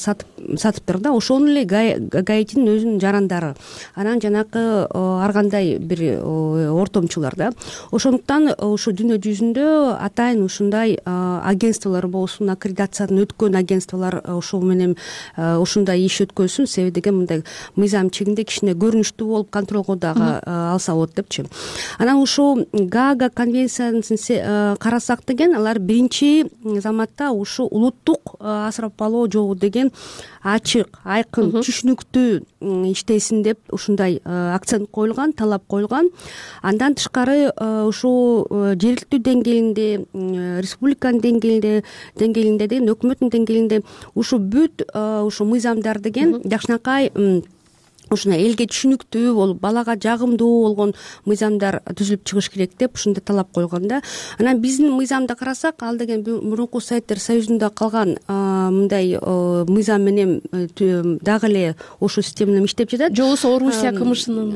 сатыптыр да. Ошону эле Гаитинин өзүнүн жарандары, анан жанакы ар кандай бир ортомчулар да. Ошондуктан ушу дүйнө жүзүндө атайын ушундай агентстволор болсун, аккредитациядан өткөн агентстволор ошол менен ушундай иш өткөзсүн, себеби деген мындай мыйзам чегинде кичине көрүнүштүү болуп контролго дагы алса болот депчи. Анан ушу Гага конвенциясын карасак деген алар биринчи заматта ушу улуттук асырап алуу жолу деген ачык, айкын, түшүнүктүү иштесин деп ушундай акцент коюлган, талап коюлган. Андан тышкары ушул жергиликтүү деңгээлинде, республиканын деңгээлинде деген өкмөттүн деңгээлинде ушу бүт ушу мыйзамдар деген жакшынакай ушундай элге түшүнүктүү болуп, балага жагымдуу болгон мыйзамдар түзүлүп чыгыш керек деп ушундай талап койгон да. Анан биздин мыйзамды карасак, ал деген мурунку Советтер Союзунда калган мындай мыйзам менен дагы эле ошол система менен иштеп жатат. Же болбосо Орусия КМШнын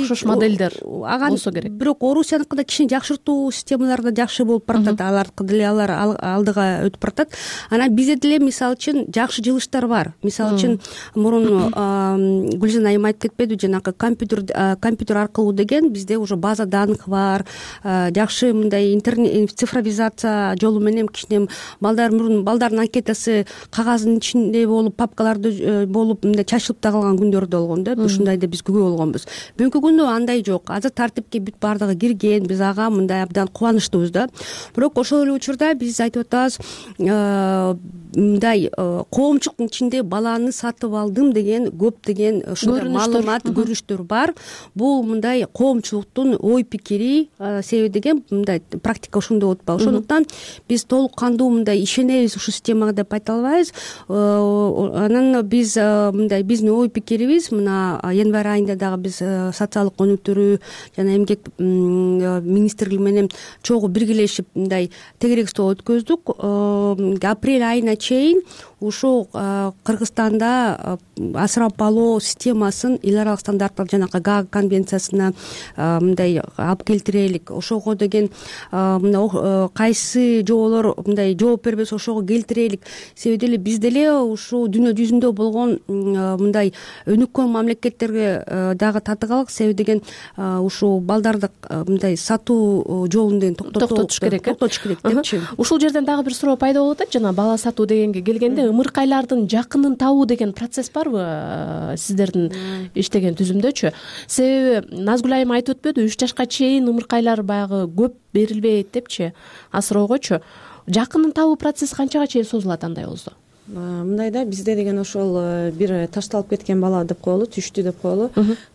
окшош модельдер болсо керек. Бирок Орусияныкы да кичине жакшыртуу системалар да жакшы болуп баратат. Алардыкы деле алар алдыга өтүп баратат. Анан бизде деле мисалы үчүн жакшы жылыштар бар. Мисалы үчүн мурун Гүлжан айым айтып кетпедиби, жанагы компьютер аркылуу деген бизде уже база данных бар, жакшы мындай интернет цифровизация жолу менен кичине балдардын анкетасы кагаздын ичинде болуп, папкаларда болуп мындай чачылып да калган күндөр да болгон да. Ушундайда биз күбө болгонбуз. Бүгүнкү күндө андай жок. Азыр тартипке бүт бардыгы кирген, биз ага мындай абдан кубанычтуубуз да. Бирок ошол эле учурда биз айтып атабыз, мындай коомчулуктун ичинде баланы сатып алдым деген көптөгөн ушундай маалымат, көрүнүштөр бар. Бул мындай коомчулуктун ой пикири, себеби деген мындай практика ошондой болуп атпайбы. Ошондуктан биз толук кандуу мындай ишенебиз ушул системага деп айта албайбыз. Анан биз мындай биздин ой пикирибиз мына январь айында дагы биз социалдык өнүктүрүү жана эмгек министрлиги менен чогуу биргелешип мындай тегерек стол өткөздүк. Апрель айына чейин ушул Кыргызстанда асырап алуу системасын эл аралык стандарттар жанагы Гага конвенциясына мындай алып келтирелик. Ошого деген мына кайсы жоолор мындай жооп бербесе ошого келтирелик. Себеби деле биз деле ушул дүйнө жүзүндө болгон мындай өнүккөн мамлекеттерге дагы татыгалык. Себеби деген ушул балдарды мындай сатуу жолун деген токтотуш керек депчи. Ушул жерден дагы бир суроо пайда болуп атат. Жана бала сатуу дегенге келгенде ымыркайлардын жакынын табуу деген процесс барбы сиздердин иштеген түзүмдөчү? Себеби Назгүл айым айтып өтпөдү, 3 жашка чейин ымыркайлар баягы көп берилбейт депчи, асыроогочу. Жакынын табуу процесси канчага чейин созулат андай болсо? Мындай да, бизде деген ошол бир ташталып кеткен бала деп коелу, түштү деп коелу.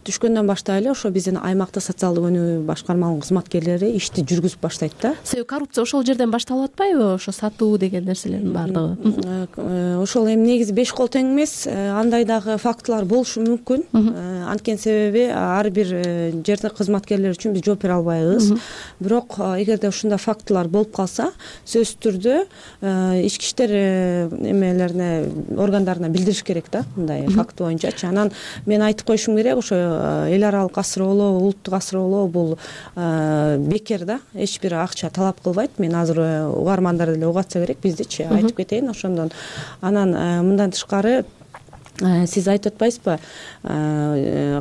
Түшкөндөн баштап эле ошо биздин аймактык социалдык өнүгүү башкармалыгынын кызматкерлери ишти жүргүзүп баштайт да. Себеби коррупция ошол жерден башталып атпайбы? Ошо сатуу деген нерселердин баардыгы. Ошол эми негизи 5 кол тең эмес, андай дагы фактылар болушу мүмкүн. Анткени себеби ар бир жердин кызматкерлери үчүн биз жооп бере албайбыз. Бирок эгерде ушундай фактылар болуп калса, сөзсүз түрдө ички иштер органдарына билдириш керек да, мындай факт боюнчачы. Анан мен айтып коюшум керек, ошо эл аралык асыроолоо, улуттук асыроолоо бул бекер да, эч бир акча талап кылбайт. Мен азыр угармандар деле угатса керек биздичи, айтып кетейин ошондон. Анан мындан тышкары сиз айтып атпайсызбы,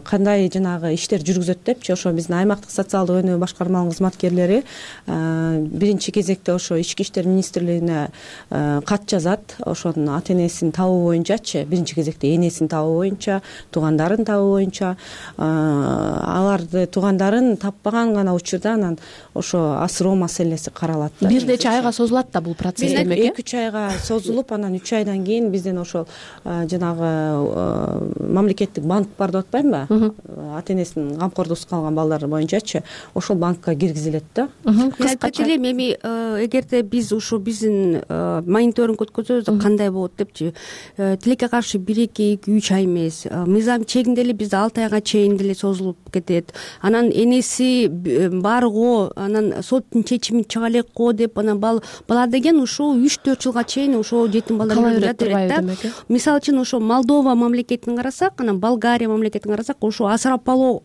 кандай жанагы иштер жүргүзөт депчи, ошо биздин аймактык социалдык өнүгүү башкармаларынын кызматкерлери биринчи кезекте ошо Ички иштер министрлигине кат жазат, ошонун ата энесин табуу боюнчачы, биринчи кезекте энесин табуу боюнча, туугандарын табуу боюнча, аларды туугандарын таппаган гана учурда анан ошо асыроо маселеси каралат. Бир нече айга созулат да бул процесс демек. 2-3 айга созулуп, анан 3 айдан кийин бизден ошол жанагы мамлекеттик банк бар деп атпаймынбы, ата энесинин камкордугусуз калган балдар боюнчачы, ошол банкка киргизилет да. Айтып элем, эми эгерде биз ушу биздин мониторинг өткөзөбүз, кандай болот депчи, тилекке каршы 1-2-3 ай эмес, мыйзам чегинде эле бизде 6 айга чейин деле созулуп кетет. Анан энеси барго, анан соттун чечими чыга элек го деп, анан бала деген ушул 3-4 жылга чейин ошо жетим балдар үйүндө турат да. Мисалы үчүн ошо Молдова мамлекетин карасак, анан Болгария мамлекетин карасак, ошо асырап алуу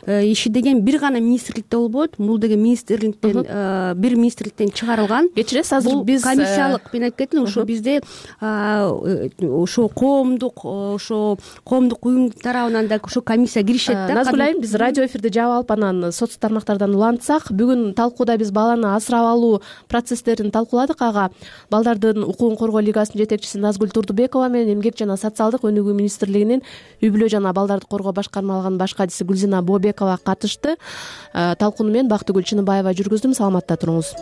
иши деген бир гана министрликте болбойт. Бул деген министрликтен бир министрликтен чыгарылган. Кечиресиз, азыр биз комиссиялык, мен айтып кеттим, ошо бизде ошо коомдук уюм тарабынан да ошо комиссия киришет да. Назгүл айым, биз радио эфирди жаап алып, анан социалдык тармактардан улантсак, бүгүн талкууда биз баланы асырап алуу процесстерин талкууладык. Ага балдардын укугун коргоо лигасынын жетекчиси Назгүл Турдубекова менен Эмгек жана социалдык өнүгүү министрлигинин үй бүлө жана балдарды коргоо башкармалыгынын баш катчысы Гүлзина Бообекова катышты. Талкууну мен Бактыгүл Чыныбаева жүргүздүм. Саламатта туруңуз.